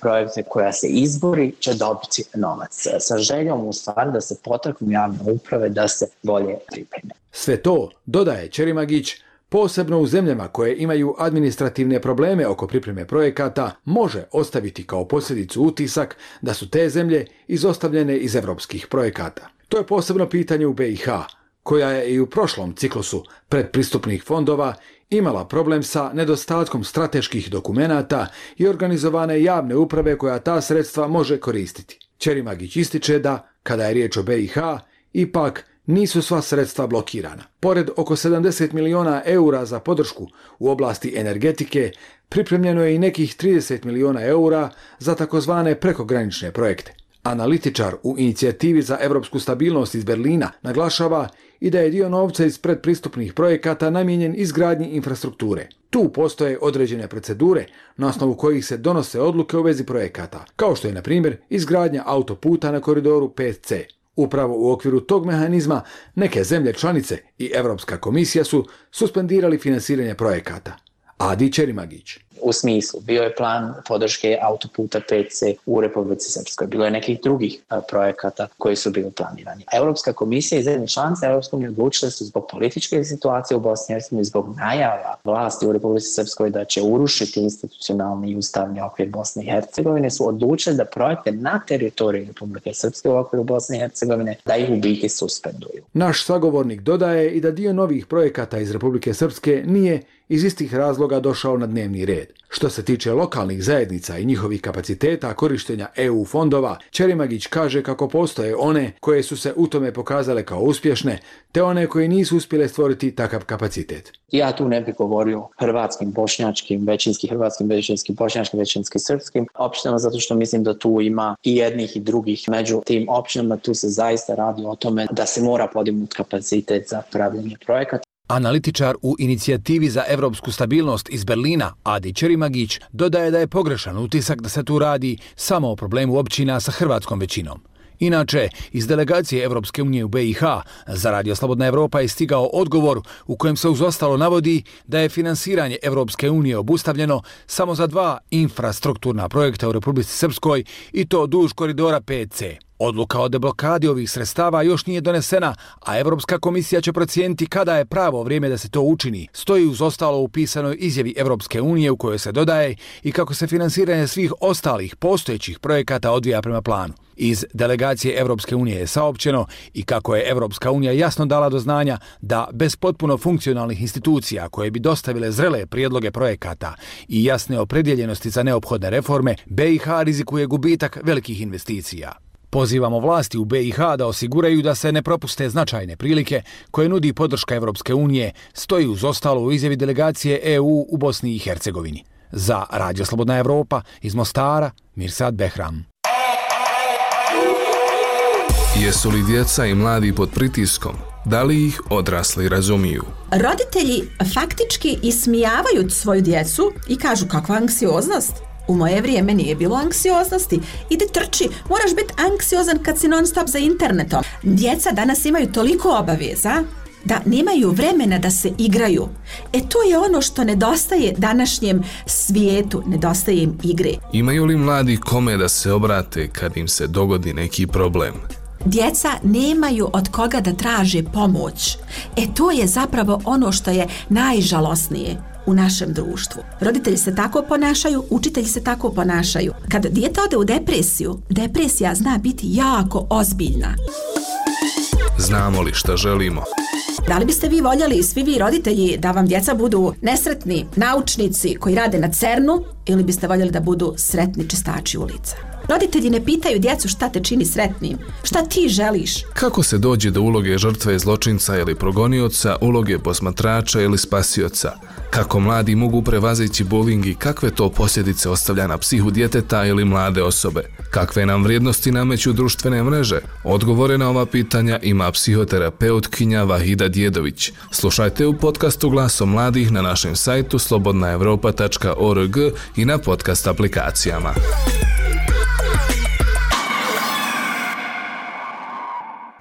projekte, koja se izbori, će dobiti novac. Sa željom u stvari da se potaknu javne uprave da se bolje pripreme. Sve to, dodaje Čerimagić, posebno u zemljama koje imaju administrativne probleme oko pripreme projekata, može ostaviti kao posljedicu utisak da su te zemlje izostavljene iz europskih projekata. To je posebno pitanje u BiH, koja je i u prošlom ciklusu predpristupnih fondova imala problem sa nedostatkom strateških dokumenata i organizovane javne uprave koja ta sredstva može koristiti. Čerimagić ističe da, kada je riječ o BiH, ipak nisu sva sredstva blokirana. Pored oko 70 milijuna eura za podršku u oblasti energetike, pripremljeno je i nekih 30 milijuna eura za takozvane prekogranične projekte. Analitičar u inicijativi za europsku stabilnost iz Berlina naglašava i da je dio novca iz predpristupnih projekata namijenjen izgradnji infrastrukture. Tu postoje određene procedure na osnovu kojih se donose odluke u vezi projekata, kao što je, na primjer, izgradnja autoputa na koridoru 5C. Upravo u okviru tog mehanizma neke zemlje članice i Europska komisija su suspendirali finansiranje projekata. Adi Čerimagić. U smislu, bio je plan podrške autoputa 5C u Republici Srpskoj. Bilo je nekih drugih projekata koji su bili planirani. Europska komisija i zemlje članice Europske unije odlučile su zbog političke situacije u Bosni i Hercegovini, zbog najava vlasti u Republici Srpskoj da će urušiti institucionalni i ustavni okvir Bosne i Hercegovine, su odlučile da projekte na teritoriji Republike Srpske u okviru Bosne i Hercegovine da ih u biti suspenduju. Naš sagovornik dodaje i da dio novih projekata iz Republike Srpske nije iz istih razloga došao na dnevni red. Što se tiče lokalnih zajednica i njihovih kapaciteta korištenja EU fondova, Čerimagić kaže kako postoje one koje su se u tome pokazale kao uspješne, te one koje nisu uspjele stvoriti takav kapacitet. Ja tu ne bih govorio hrvatskim, bošnjačkim, većinski hrvatskim, većinski bošnjačkim, većinski srpskim općinama, zato što mislim da tu ima i jednih i drugih. Među tim općinama tu se zaista radi o tome da se mora podignuti kapacitet za pravljenje projekata. Analitičar u inicijativi za europsku stabilnost iz Berlina, Adi Čerimagić, dodaje da je pogrešan utisak da se tu radi samo o problemu općina sa hrvatskom većinom. Inače, iz delegacije Europske unije u BiH za Radio Slobodna Evropa je stigao odgovor u kojem se uz ostalo navodi da je finansiranje Europske unije obustavljeno samo za 2 infrastrukturna projekta u Republici Srpskoj i to duž koridora 5C. Odluka o deblokadi ovih sredstava još nije donesena, a Europska komisija će procijeniti kada je pravo vrijeme da se to učini. Stoji uz ostalo u pisanoj izjavi Europske unije u kojoj se dodaje i kako se finansiranje svih ostalih postojećih projekata odvija prema planu. Iz delegacije Europske unije je saopćeno i kako je Europska unija jasno dala do znanja da bez potpuno funkcionalnih institucija koje bi dostavile zrele prijedloge projekata i jasne opredjeljenosti za neophodne reforme, BiH rizikuje gubitak velikih investicija. Pozivamo vlasti u BiH da osiguraju da se ne propuste značajne prilike koje nudi podrška Evropske unije, stoji uz ostalo u izjavi delegacije EU u Bosni i Hercegovini. Za Radio Slobodna Evropa iz Mostara, Mirsad Behram. Jesu li djeca i mladi pod pritiskom? Da li ih odrasli razumiju? Roditelji faktički ismijavaju svoju djecu i kažu kakva anksioznost. U moje vrijeme nije bilo anksioznosti. Ide trči, moraš biti anksiozan kad si non stop za internetom. Djeca danas imaju toliko obaveza da nemaju vremena da se igraju. To je ono što nedostaje današnjem svijetu, nedostaje im igre. Imaju li mladi kome da se obrate kad im se dogodi neki problem? Djeca nemaju od koga da traže pomoć. To je zapravo ono što je najžalosnije u našem društvu. Roditelji se tako ponašaju, učitelji se tako ponašaju. Kad dijete ode u depresiju, depresija zna biti jako ozbiljna. Znamo li šta želimo? Da li biste vi voljeli, svi vi roditelji, da vam djeca budu nesretni naučnici koji rade na CERN-u ili biste voljeli da budu sretni čistači ulica? Roditelji ne pitaju djecu šta te čini sretnim, šta ti želiš. Kako se dođe do uloge žrtve, zločinca ili progonioca, uloge posmatrača ili spasioca? Kako mladi mogu prevazići bullying i kakve to posljedice ostavlja na psihu djeteta ili mlade osobe? Kakve nam vrijednosti nameću društvene mreže? Odgovore na ova pitanja ima psihoterapeutkinja Vahida Djedović. Slušajte u podcastu Glasom mladih na našem sajtu slobodnaevropa.org i na podcast aplikacijama.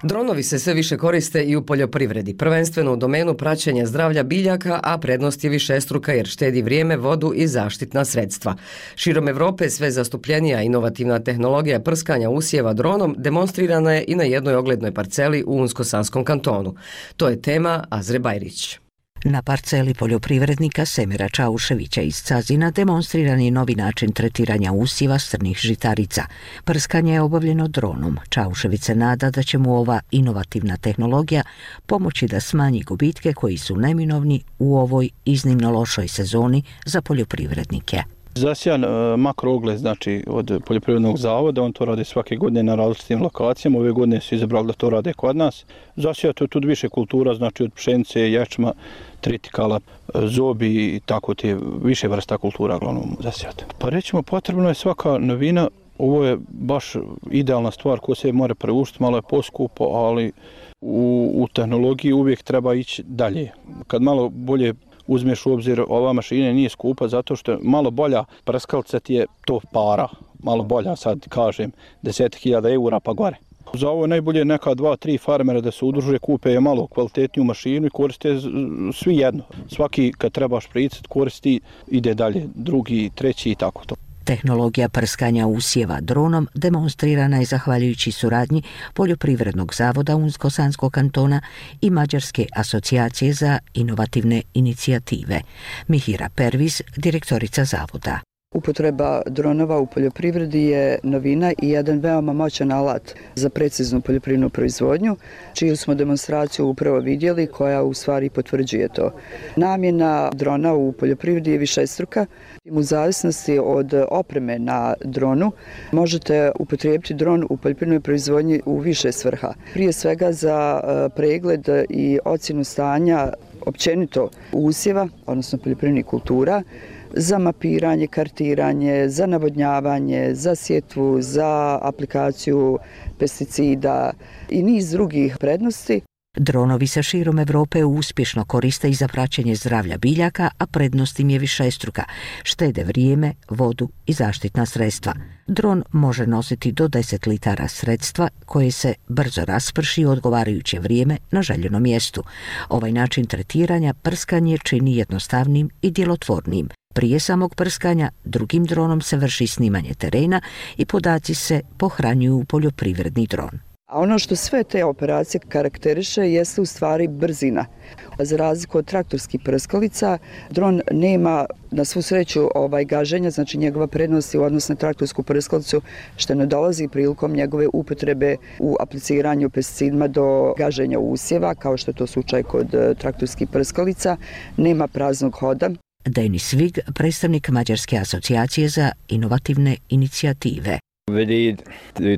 Dronovi se sve više koriste i u poljoprivredi, prvenstveno u domenu praćenja zdravlja biljaka, a prednost je višestruka jer štedi vrijeme, vodu i zaštitna sredstva. Širom Evrope sve zastupljenija inovativna tehnologija prskanja usjeva dronom demonstrirana je i na jednoj oglednoj parceli u Unsko-Sanskom kantonu. To je tema Azre Bajrić. Na parceli poljoprivrednika Semira Čauševića iz Cazina demonstriran je novi način tretiranja usjeva strnih žitarica. Prskanje je obavljeno dronom. Čaušević se nada da će mu ova inovativna tehnologija pomoći da smanji gubitke koji su neminovni u ovoj iznimno lošoj sezoni za poljoprivrednike. Zasijan makroogled, znači od poljoprivrednog zavoda, on to radi svake godine na različitim lokacijama, ove godine su izabrali da to rade kod nas. Zasijato je tu više kultura, znači od pšenice, ječma, tritikala, zobi i tako te više vrsta kultura glavnom zasijato. Pa rećemo, potrebno je svaka novina, ovo je baš idealna stvar koja se mora preuštiti, malo je poskupo, ali u tehnologiji uvijek treba ići dalje. Kad malo bolje uzmeš u obzir, ova mašina nije skupa zato što malo bolja prskalica ti je to para. Malo bolja, sad kažem, 10.000 eura pa gore. Za ovo je najbolje neka 2-3 farmera da se udruže, kupe je malo kvalitetniju mašinu i koriste svi jedno. Svaki kad trebaš pricati koristi, ide dalje, drugi, treći i tako to. Tehnologija prskanja usjeva dronom demonstrirana je zahvaljujući suradnji Poljoprivrednog zavoda Unsko-Sanskog kantona i Mađarske asocijacije za inovativne inicijative. Mihira Perviz, direktorica zavoda. Upotreba dronova u poljoprivredi je novina i jedan veoma moćan alat za preciznu poljoprivrednu proizvodnju, čiju smo demonstraciju upravo vidjeli, koja u stvari potvrđuje to. Namjena drona u poljoprivredi je višestruka. U zavisnosti od opreme na dronu možete upotrijebiti dron u poljoprivrednoj proizvodnji u više svrha. Prije svega za pregled i ocjenu stanja općenito usjeva, odnosno poljoprivrednih kultura, za mapiranje, kartiranje, za navodnjavanje, za sjetvu, za aplikaciju pesticida i niz drugih prednosti. Dronovi se širom Evrope uspješno koriste i za praćenje zdravlja biljaka, a prednost im je višestruka. Štede vrijeme, vodu i zaštitna sredstva. Dron može nositi do 10 litara sredstva koje se brzo rasprši u odgovarajuće vrijeme na željenom mjestu. Ovaj način tretiranja prskanje čini jednostavnim i djelotvornim. Prije samog prskanja drugim dronom se vrši snimanje terena i podaci se pohranjuju u poljoprivredni dron. A ono što sve te operacije karakteriše jeste u stvari brzina. Za razliku od traktorskih prskalica, dron nema na svu sreću gaženja, znači njegova prednost je u odnosu na traktorsku prskalicu što ne dolazi prilikom njegove upotrebe u apliciranju pesticidima do gaženja usjeva, kao što je to slučaj kod traktorskih prskalica, nema praznog hoda. Denis Vig, predstavnik Mađarske asocijacije za inovativne inicijative. We did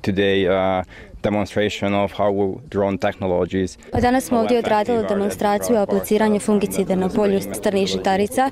today demonstration of how drone technologies. Danas smo ovdje odradili demonstraciju apliciranja fungicida na polju strnih žitarica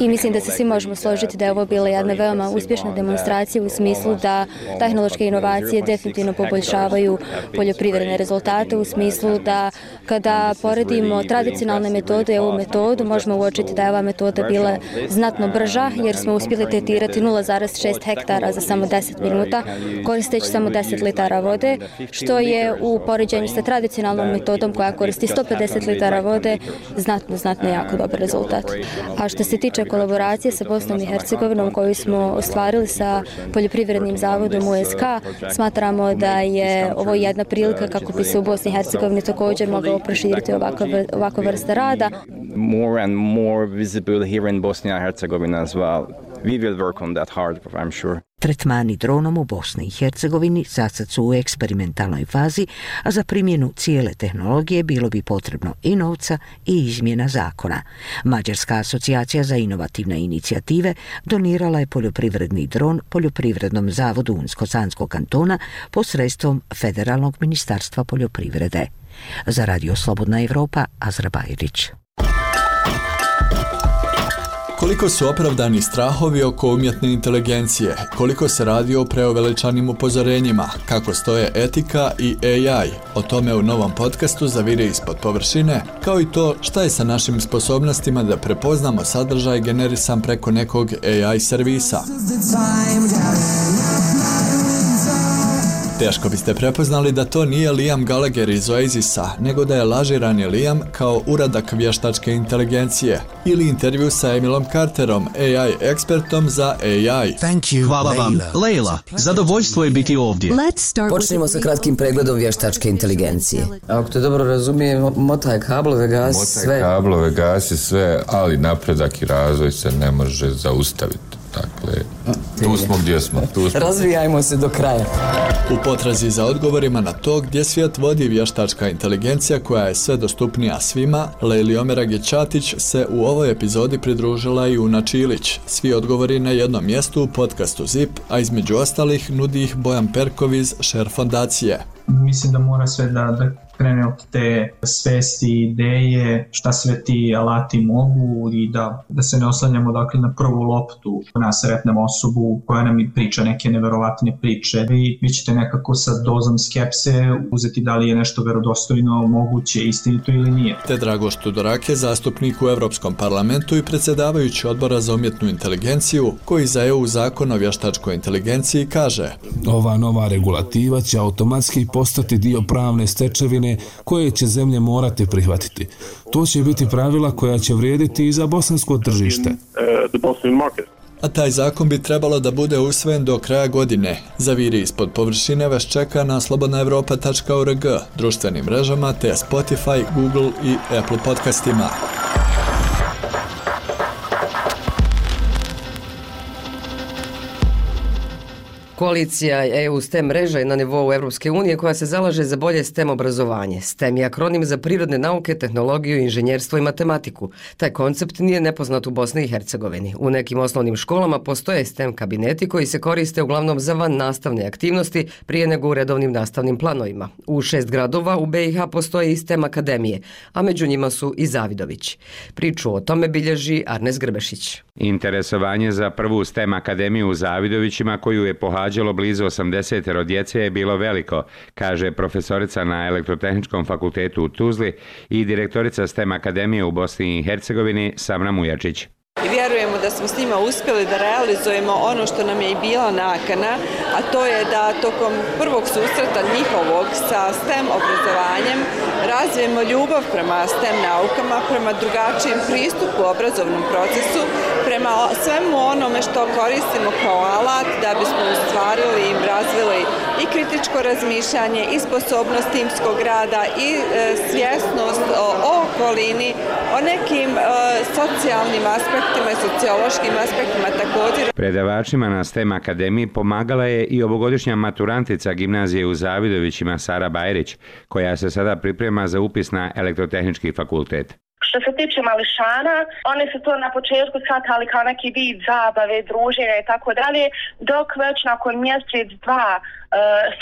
i mislim da se svi možemo složiti da je ovo bila jedna veoma uspješna demonstracija u smislu da tehnološke inovacije definitivno poboljšavaju poljoprivredne rezultate, u smislu da kada poredimo tradicionalne metode i ovu metodu možemo uočiti da je ova metoda bila znatno brža jer smo uspjeli tretirati 0,6 hektara za samo 10 minuta koristeći samo 10 litara vode, što je u poređenju sa tradicionalnom metodom koja koristi 150 litara vode znatno jako dobar rezultat. A što se tiče kolaboracije sa Bosnom i Hercegovinom koju smo ostvarili sa Poljoprivrednim zavodom USK, smatramo da je ovo jedna prilika kako bi se u Bosni i Hercegovini također mogao proširiti ovakva vrsta rada. More and more visible here in Bosnia and Herzegovina as well. We will work on that hard, I'm sure. Tretmani dronom u Bosni i Hercegovini sad su u eksperimentalnoj fazi, a za primjenu cijele tehnologije bilo bi potrebno i novca i izmjena zakona. Mađarska asocijacija za inovativne inicijative donirala je poljoprivredni dron Poljoprivrednom zavodu Unsko-Sanskog kantona posredstvom Federalnog ministarstva poljoprivrede. Za Radio Slobodna Evropa, Azra Bajrić. Koliko su opravdani strahovi oko umjetne inteligencije, koliko se radi o preuveličanim upozorenjima, kako stoje etika i AI, o tome u novom podcastu Zaviri ispod površine, kao i to šta je sa našim sposobnostima da prepoznamo sadržaj generisan preko nekog AI servisa. Teško biste prepoznali da to nije Liam Gallagher iz Oasisa, nego da je lažirani Liam kao uradak vještačke inteligencije ili intervju sa Emilom Carterom, AI ekspertom za AI. Hvala vam, Leila. Zadovoljstvo je biti ovdje. Počnemo sa kratkim pregledom vještačke inteligencije. Ako te dobro razumijem, motaj kablove, gasi sve. Motaj kablove, gasi sve, ali napredak i razvoj se ne može zaustaviti. Dakle, tu smo gdje smo. Razvijajmo se do kraja. U potrazi za odgovorima na to gdje svijet vodi vještačka inteligencija koja je sve dostupnija svima, Leili Omerag-Ćatić se u ovoj epizodi pridružila i Una Čilić. Svi odgovori na jednom mjestu u podcastu ZIP, a između ostalih nudi ih Bojan Perkov iz Share fondacije. Mislim da mora sve da krene od te svesti, ideje, šta sve ti alati mogu i da se ne oslanjamo dakle na prvu loptu, na sretnem osobu koja nam priča neke neverovatne priče. Vi ćete nekako sa dozom skepse uzeti da li je nešto verodostojno, moguće, istinito ili nije. Te Dragoš Tudorake, zastupnik u Europskom parlamentu i predsjedavajući odbora za umjetnu inteligenciju, koji za EU zakon o vještačkoj inteligenciji kaže: Ova nova regulativa će automatski postati dio pravne stečevine koje će zemlje morati prihvatiti. To će biti pravila koja će vrijediti i za bosansko tržište. A taj zakon bi trebalo da bude usvojen do kraja godine. Zaviri ispod površine vas čeka na slobodnaevropa.org, društvenim mrežama te Spotify, Google i Apple podcastima. Koalicija EU STEM mreža je na nivou Europske unije koja se zalaže za bolje STEM obrazovanje. STEM je akronim za prirodne nauke, tehnologiju, inženjerstvo i matematiku. Taj koncept nije nepoznat u Bosni i Hercegovini. U nekim osnovnim školama postoje STEM kabineti koji se koriste uglavnom za van nastavne aktivnosti prije nego u redovnim nastavnim planovima. U 6 gradova u BiH postoje i STEM akademije, a među njima su i Zavidović. Priču o tome bilježi Arnes Grbešić. Interesovanje za prvu STEM akademiju u Zavidovićima, koju je pohađalo blizu 80 djece, je bilo veliko, kaže profesorica na Elektrotehničkom fakultetu u Tuzli i direktorica STEM akademije u Bosni i Hercegovini Samra Mujačić. I vjerujemo da smo s njima uspjeli da realizujemo ono što nam je i bila nakana, a to je da tokom prvog susreta njihovog sa STEM obrazovanjem razvijemo ljubav prema STEM naukama, prema drugačijem pristupu obrazovnom procesu, prema svemu onome što koristimo kao alat da bismo ostvarili i razvili i kritičko razmišljanje, i sposobnost timskog rada, i svjesnost o okolini, o nekim socijalnim aspektima i sociološkim aspektima također. Predavačima na STEM akademiji pomagala je i ovogodišnja maturantica gimnazije u Zavidovićima Sara Bajrić, koja se sada priprema za upis na Elektrotehnički fakultet. Što se tiče mališana, oni su to na početku shvatali kao neki vid zabave, druženja i tako dalje, dok već nakon mjesec, dva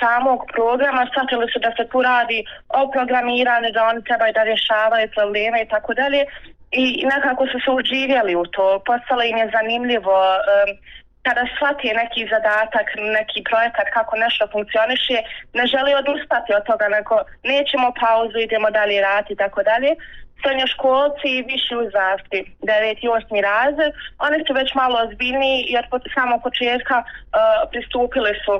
samog programa shvatili su da se tu radi o programiranju, da oni trebaju da rješavaju probleme i tako dalje. I nekako su se uživjeli u to, postalo im je zanimljivo kada shvati neki zadatak, neki projekat kako nešto funkcioniše, ne želi odustati od toga, nego nećemo pauzu, idemo dalje raditi i tako dalje. Srednjoškolci i viši uzrasti, 9. i 8. razred, oni su već malo ozbiljniji jer od samog početka pristupili su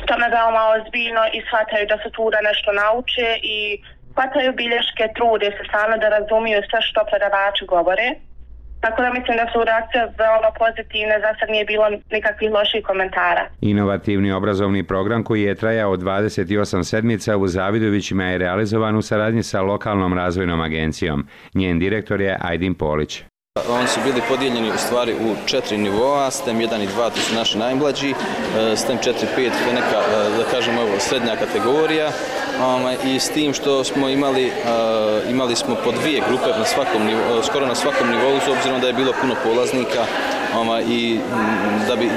tome veoma ozbiljno i shvataju da su tu da nešto nauče i hvataju bilješke, trude se stvarno da razumiju sve što predavači govore. Tako da mislim da su reakcije veoma pozitivne, za sad nije bilo nikakvih loših komentara. Inovativni obrazovni program koji je trajao 28 sedmica u Zavidovićima je realizovan u saradnji sa lokalnom razvojnom agencijom. Njen direktor je Ajdin Polić. Oni su bili podijeljeni u stvari u 4 nivoa, STEM 1 i 2 to su naši najmlađi, STEM 4 i 5 to je neka, da kažemo, srednja kategorija i s tim što smo imali smo po 2 grupe na svakom nivou, skoro na svakom nivou, s obzirom da je bilo puno polaznika i da bi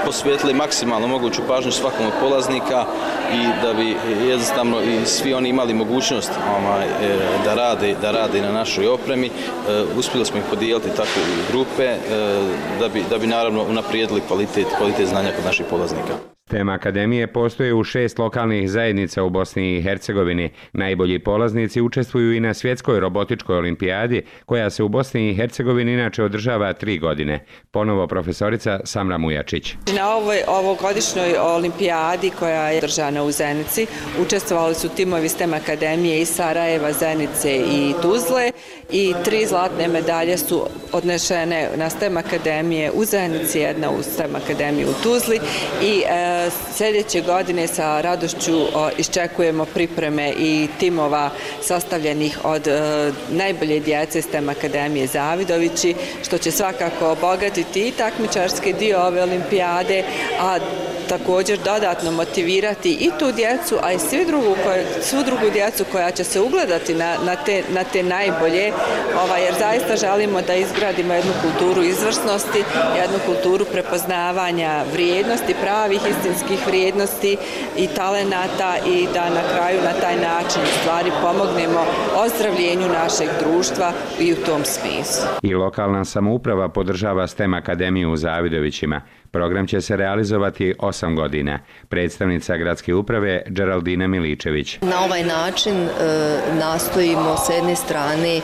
posvetili maksimalno moguću pažnju svakom od polaznika i da bi jednostavno i svi oni imali mogućnost da rade na našoj opremi. Uspjeli smo ih podijeliti tako u grupe da bi naravno unaprijedili kvalitet znanja kod naših polaznika. STEM akademije postoje u 6 lokalnih zajednica u Bosni i Hercegovini. Najbolji polaznici učestvuju i na svjetskoj robotičkoj olimpijadi, koja se u Bosni i Hercegovini inače održava 3 godine. Ponovo profesorica Samra Mujačić. Na ovogodišnjoj olimpijadi koja je održana u Zenici učestvovali su timovi STEM akademije iz Sarajeva, Zenice i Tuzle i 3 zlatne medalje su odnešene na STEM akademije u Zenici, jedna u STEM akademiji u Tuzli i sljedeće godine sa radošću iščekujemo pripreme i timova sastavljenih od najbolje djece STEM akademije Zavidovići, što će svakako obogatiti i takmičarski dio ove olimpijade, a također dodatno motivirati i tu djecu, a i svu drugu djecu koja će se ugledati na te najbolje, jer zaista želimo da izgradimo jednu kulturu izvrsnosti, jednu kulturu prepoznavanja vrijednosti, pravih istinskih vrijednosti i talenata i da na kraju na taj način stvari pomognemo ozdravljenju našeg društva i u tom smislu. I lokalna samouprava podržava STEM akademiju u Zavidovićima. Program će se realizovati 8 godina. Predstavnica gradske uprave Geraldina Miličević. Na ovaj način nastojimo s jedne strane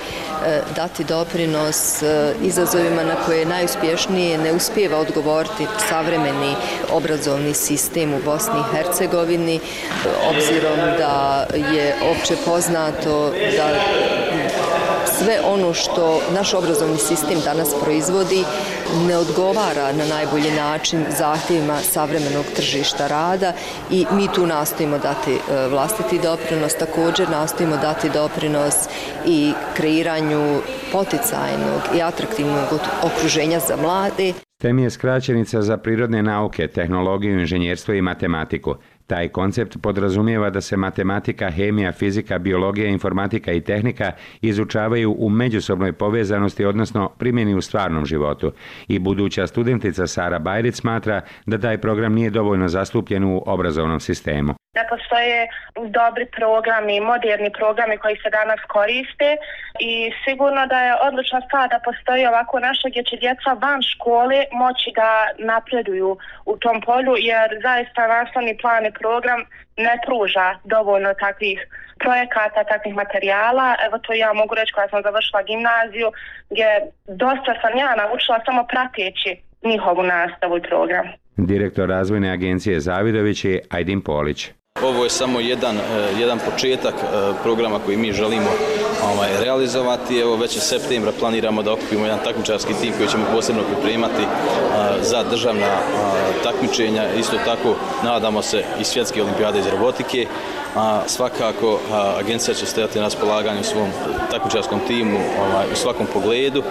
dati doprinos izazovima na koje najuspješnije ne uspijeva odgovoriti savremeni obrazovni sistem u Bosni i Hercegovini, obzirom da je opće poznato da sve ono što naš obrazovni sistem danas proizvodi ne odgovara na najbolji način zahtjevima savremenog tržišta rada i mi tu nastojimo dati vlastiti doprinos, također nastojimo dati doprinos i kreiranju poticajnog i atraktivnog okruženja za mlade. STEM je skraćenica za prirodne nauke, tehnologiju, inženjerstvo i matematiku. Taj koncept podrazumijeva da se matematika, hemija, fizika, biologija, informatika i tehnika izučavaju u međusobnoj povezanosti, odnosno primjeni u stvarnom životu. I buduća studentica Sara Bajrić smatra da taj program nije dovoljno zastupljen u obrazovnom sistemu. Da postoje dobri programi, moderni programi koji se danas koriste i sigurno da je odlična stvar da postoji ovako nešto gdje će djeca van škole moći da napreduju u tom polju, jer zaista nastavni plan i program ne pruža dovoljno takvih projekata, takvih materijala. Evo to ja mogu reći koja sam završila gimnaziju, gdje dosta sam ja naučila samo prateći njihovu nastavu i program. Direktor razvojne agencije Zavidović je Ajdin Polić. Ovo je samo jedan početak programa koji mi želimo realizovati. Evo već u septembra planiramo da okupimo jedan takmičarski tim koji ćemo posebno pripremati za državna takmičenja. Isto tako nadamo se i svjetske olimpijade iz robotike. Svakako agencija će stajati na raspolaganju svom takmičarskom timu u svakom pogledu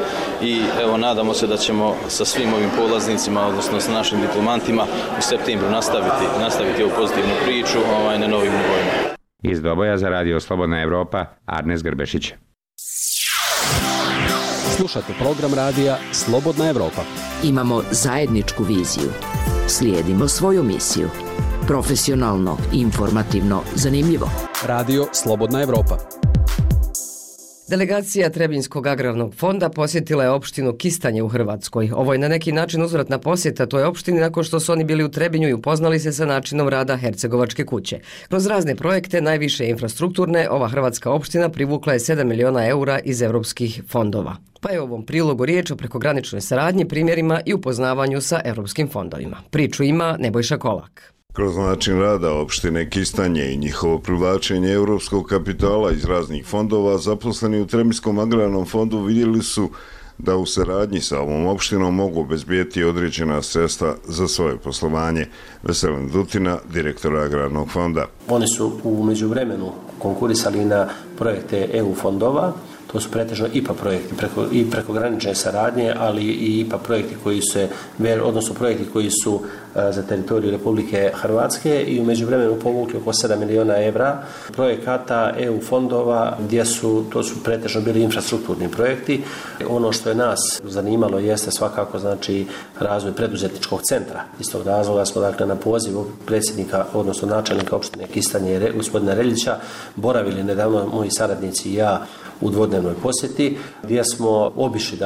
i evo nadamo se da ćemo sa svim ovim polaznicima, odnosno sa našim diplomantima u septembru nastaviti ovu pozitivnu priču na novim nivoima. Iz Doboja za Radio Slobodna Evropa, Arnes Grbešić. Slušate program radija Slobodna Evropa. Imamo zajedničku viziju. Slijedimo svoju misiju. Profesionalno, informativno, zanimljivo. Radio Slobodna Evropa. Delegacija Trebinjskog agrarnog fonda posjetila je opštinu Kistanje u Hrvatskoj. Ovo je na neki način uzvratna posjeta toj opštini nakon što su oni bili u Trebinju i upoznali se sa načinom rada Hercegovačke kuće. Kroz razne projekte, najviše infrastrukturne, ova hrvatska opština privukla je 7 miliona eura iz evropskih fondova. Pa je u ovom prilogu riječ o prekograničnoj saradnji, primjerima i upoznavanju sa evropskim fondovima. Priču ima Nebojša Kolak. Kroz način rada opštine Kistanje i njihovo privlačenje europskog kapitala iz raznih fondova, zaposleni u Trebinjskom agrarnom fondu vidjeli su da u saradnji sa ovom opštinom mogu obezbijeti određena sredstva za svoje poslovanje. Veselin Dutina, direktor agrarnog fonda. Oni su u međuvremenu konkurisali na projekte EU fondova. To su pretežno IPA projekti i prekogranične saradnje, ali i IPA projekti koji su za teritoriju Republike Hrvatske i u međuvremenu povukli oko 7 miliona evra projekata EU fondova to su pretežno bili infrastrukturni projekti. Ono što je nas zanimalo jeste svakako razvoj preduzetničkog centra. Iz tog razloga smo na poziv predsjednika, odnosno načelnika opštine Kistanje, gospodina Reljića, boravili nedavno moji saradnici i ja u dvodnevnoj posjeti, gdje smo obišli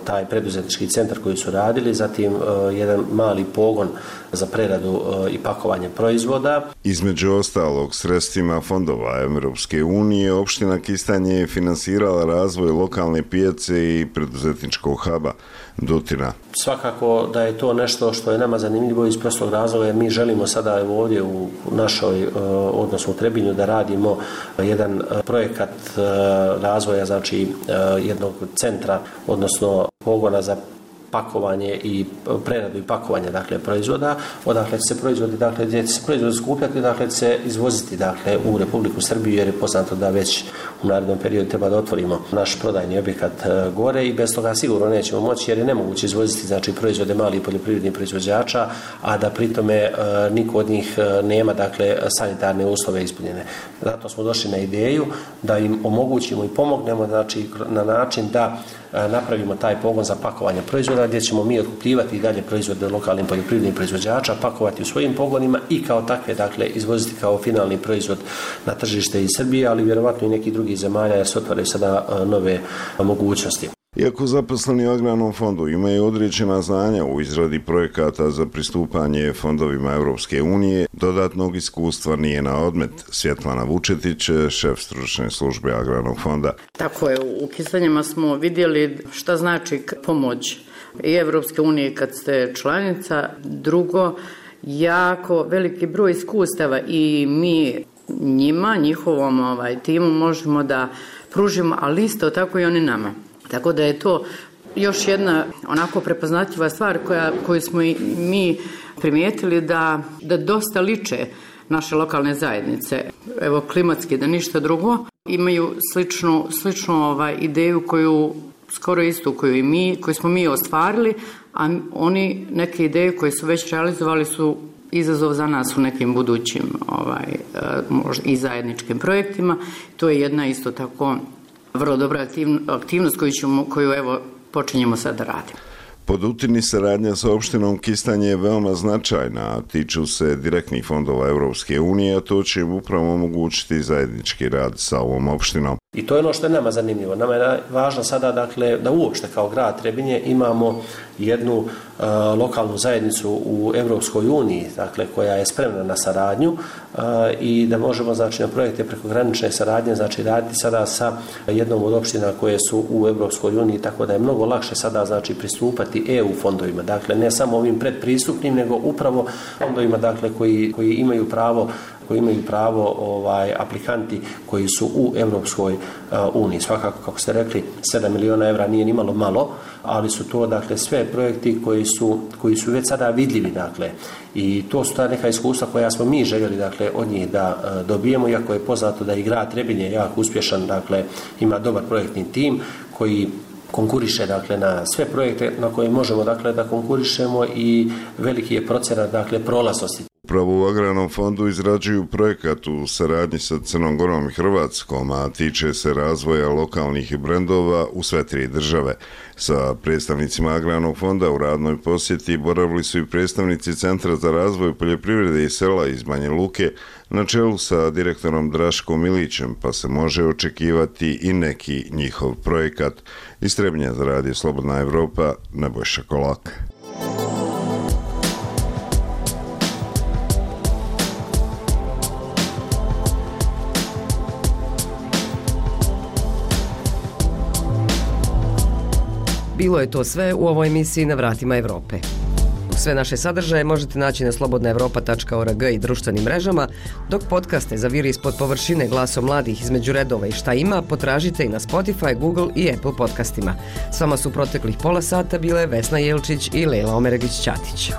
taj preduzetnički centar koji su radili, zatim jedan mali pogon za preradu i pakovanje proizvoda. Između ostalog, sredstvima fondova Europske unije, opština Kistanje je finansirala razvoj lokalne pijace i preduzetničkog huba. Dutina. Svakako da je to nešto što je nama zanimljivo iz prostog razloga, jer mi želimo sada ovdje u našoj, odnosno u Trebinju, da radimo jedan projekat razvoja, jednog centra, odnosno pogona za pakovanje i preradu i pakovanje proizvoda, odakle će se proizvodi, gdje će se proizvodi skupljati, će se izvoziti u Republiku Srbiju, jer je poznato da već u narednom periodu treba da otvorimo naš prodajni objekat gore i bez toga sigurno nećemo moći, jer je nemoguće izvoziti proizvode malih poljoprivrednih proizvođača, a da pritome niko od njih nema sanitarne uslove ispunjene. Zato smo došli na ideju da im omogućimo i pomognemo na način da napravimo taj pogon za pakovanje proizvoda, gdje ćemo mi otkupljivati i dalje proizvode lokalnim poljoprivrednih proizvođača, pakovati u svojim pogonima i kao takve izvoziti kao finalni proizvod na tržište iz Srbije, ali vjerovatno i nekih drugih zemalja, jer se otvaraju sada nove mogućnosti. Iako zaposleni u agrarnom fondu imaju određena znanja u izradi projekata za pristupanje fondovima Europske unije, dodatnog iskustva nije na odmet. Svjetlana Vučetić, šef stručne službe agrarnog fonda. Tako je, u Kistanjima smo vidjeli šta znači pomoć i Europske unije kad ste članica. Drugo, jako veliki broj iskustava i mi njima, njihovom timu možemo da pružimo, ali isto tako i oni nama. Tako da je to još jedna onako prepoznatljiva stvar koju smo i mi primijetili da dosta liče naše lokalne zajednice. Evo, klimatski, da ništa drugo. Imaju sličnu ideju koju skoro istu koju smo mi ostvarili, a oni neke ideje koje su već realizovali su izazov za nas u nekim budućim i zajedničkim projektima. To je jedna isto tako vrlo dobra aktivnost koju evo počinjemo sad da radimo. Po Dutini saradnja sa opštinom Kistanje je veoma značajna, a tiču se direktnih fondova Europske unije, a to će im upravo omogućiti zajednički rad sa ovom opštinom. I to je ono što je nama zanimljivo. Nama je važno sada da uopšte kao grad Trebinje imamo jednu lokalnu zajednicu u Europskoj uniji, koja je spremna na saradnju i da možemo na projekte prekogranične saradnje raditi sada sa jednom od opština koje su u Europskoj uniji, tako da je mnogo lakše sada pristupati EU fondovima. Ne samo ovim predpristupnim, nego upravo fondovima koji imaju pravo aplikanti koji su u Europskoj uniji. Svakako, kako ste rekli, 7 miliona evra nije nimalo malo, ali su to sve projekti koji su već sada vidljivi. I to su ta neka iskustva koja smo mi željeli od njih da dobijemo, iako je poznato da i grad Trebinje jako uspješan, ima dobar projektni tim koji konkuriše na sve projekte na koje možemo da konkurišemo i veliki je procenat prolaznosti. Upravo u Agrarnom fondu izrađuju projekat u saradnji sa Crnom Gorom i Hrvatskom, a tiče se razvoja lokalnih brendova u sve 3 države. Sa predstavnicima Agrarnog fonda u radnoj posjeti boravili su i predstavnici Centra za razvoj poljoprivrede i sela iz Banja Luke na čelu sa direktorom Draškom Milićem, pa se može očekivati i neki njihov projekat. Iz Trebinja za radio Slobodna Evropa, Nebojša Kolak. Bilo je to sve u ovoj emisiji Na vratima Evrope. Sve naše sadržaje možete naći na slobodnaevropa.org i društvenim mrežama, dok podcaste za Vir ispod površine glasom mladih između redova i šta ima potražite i na Spotify, Google i Apple podcastima. S vama su proteklih pola sata bile Vesna Jelčić i Lejla Omeregić-Ćatić.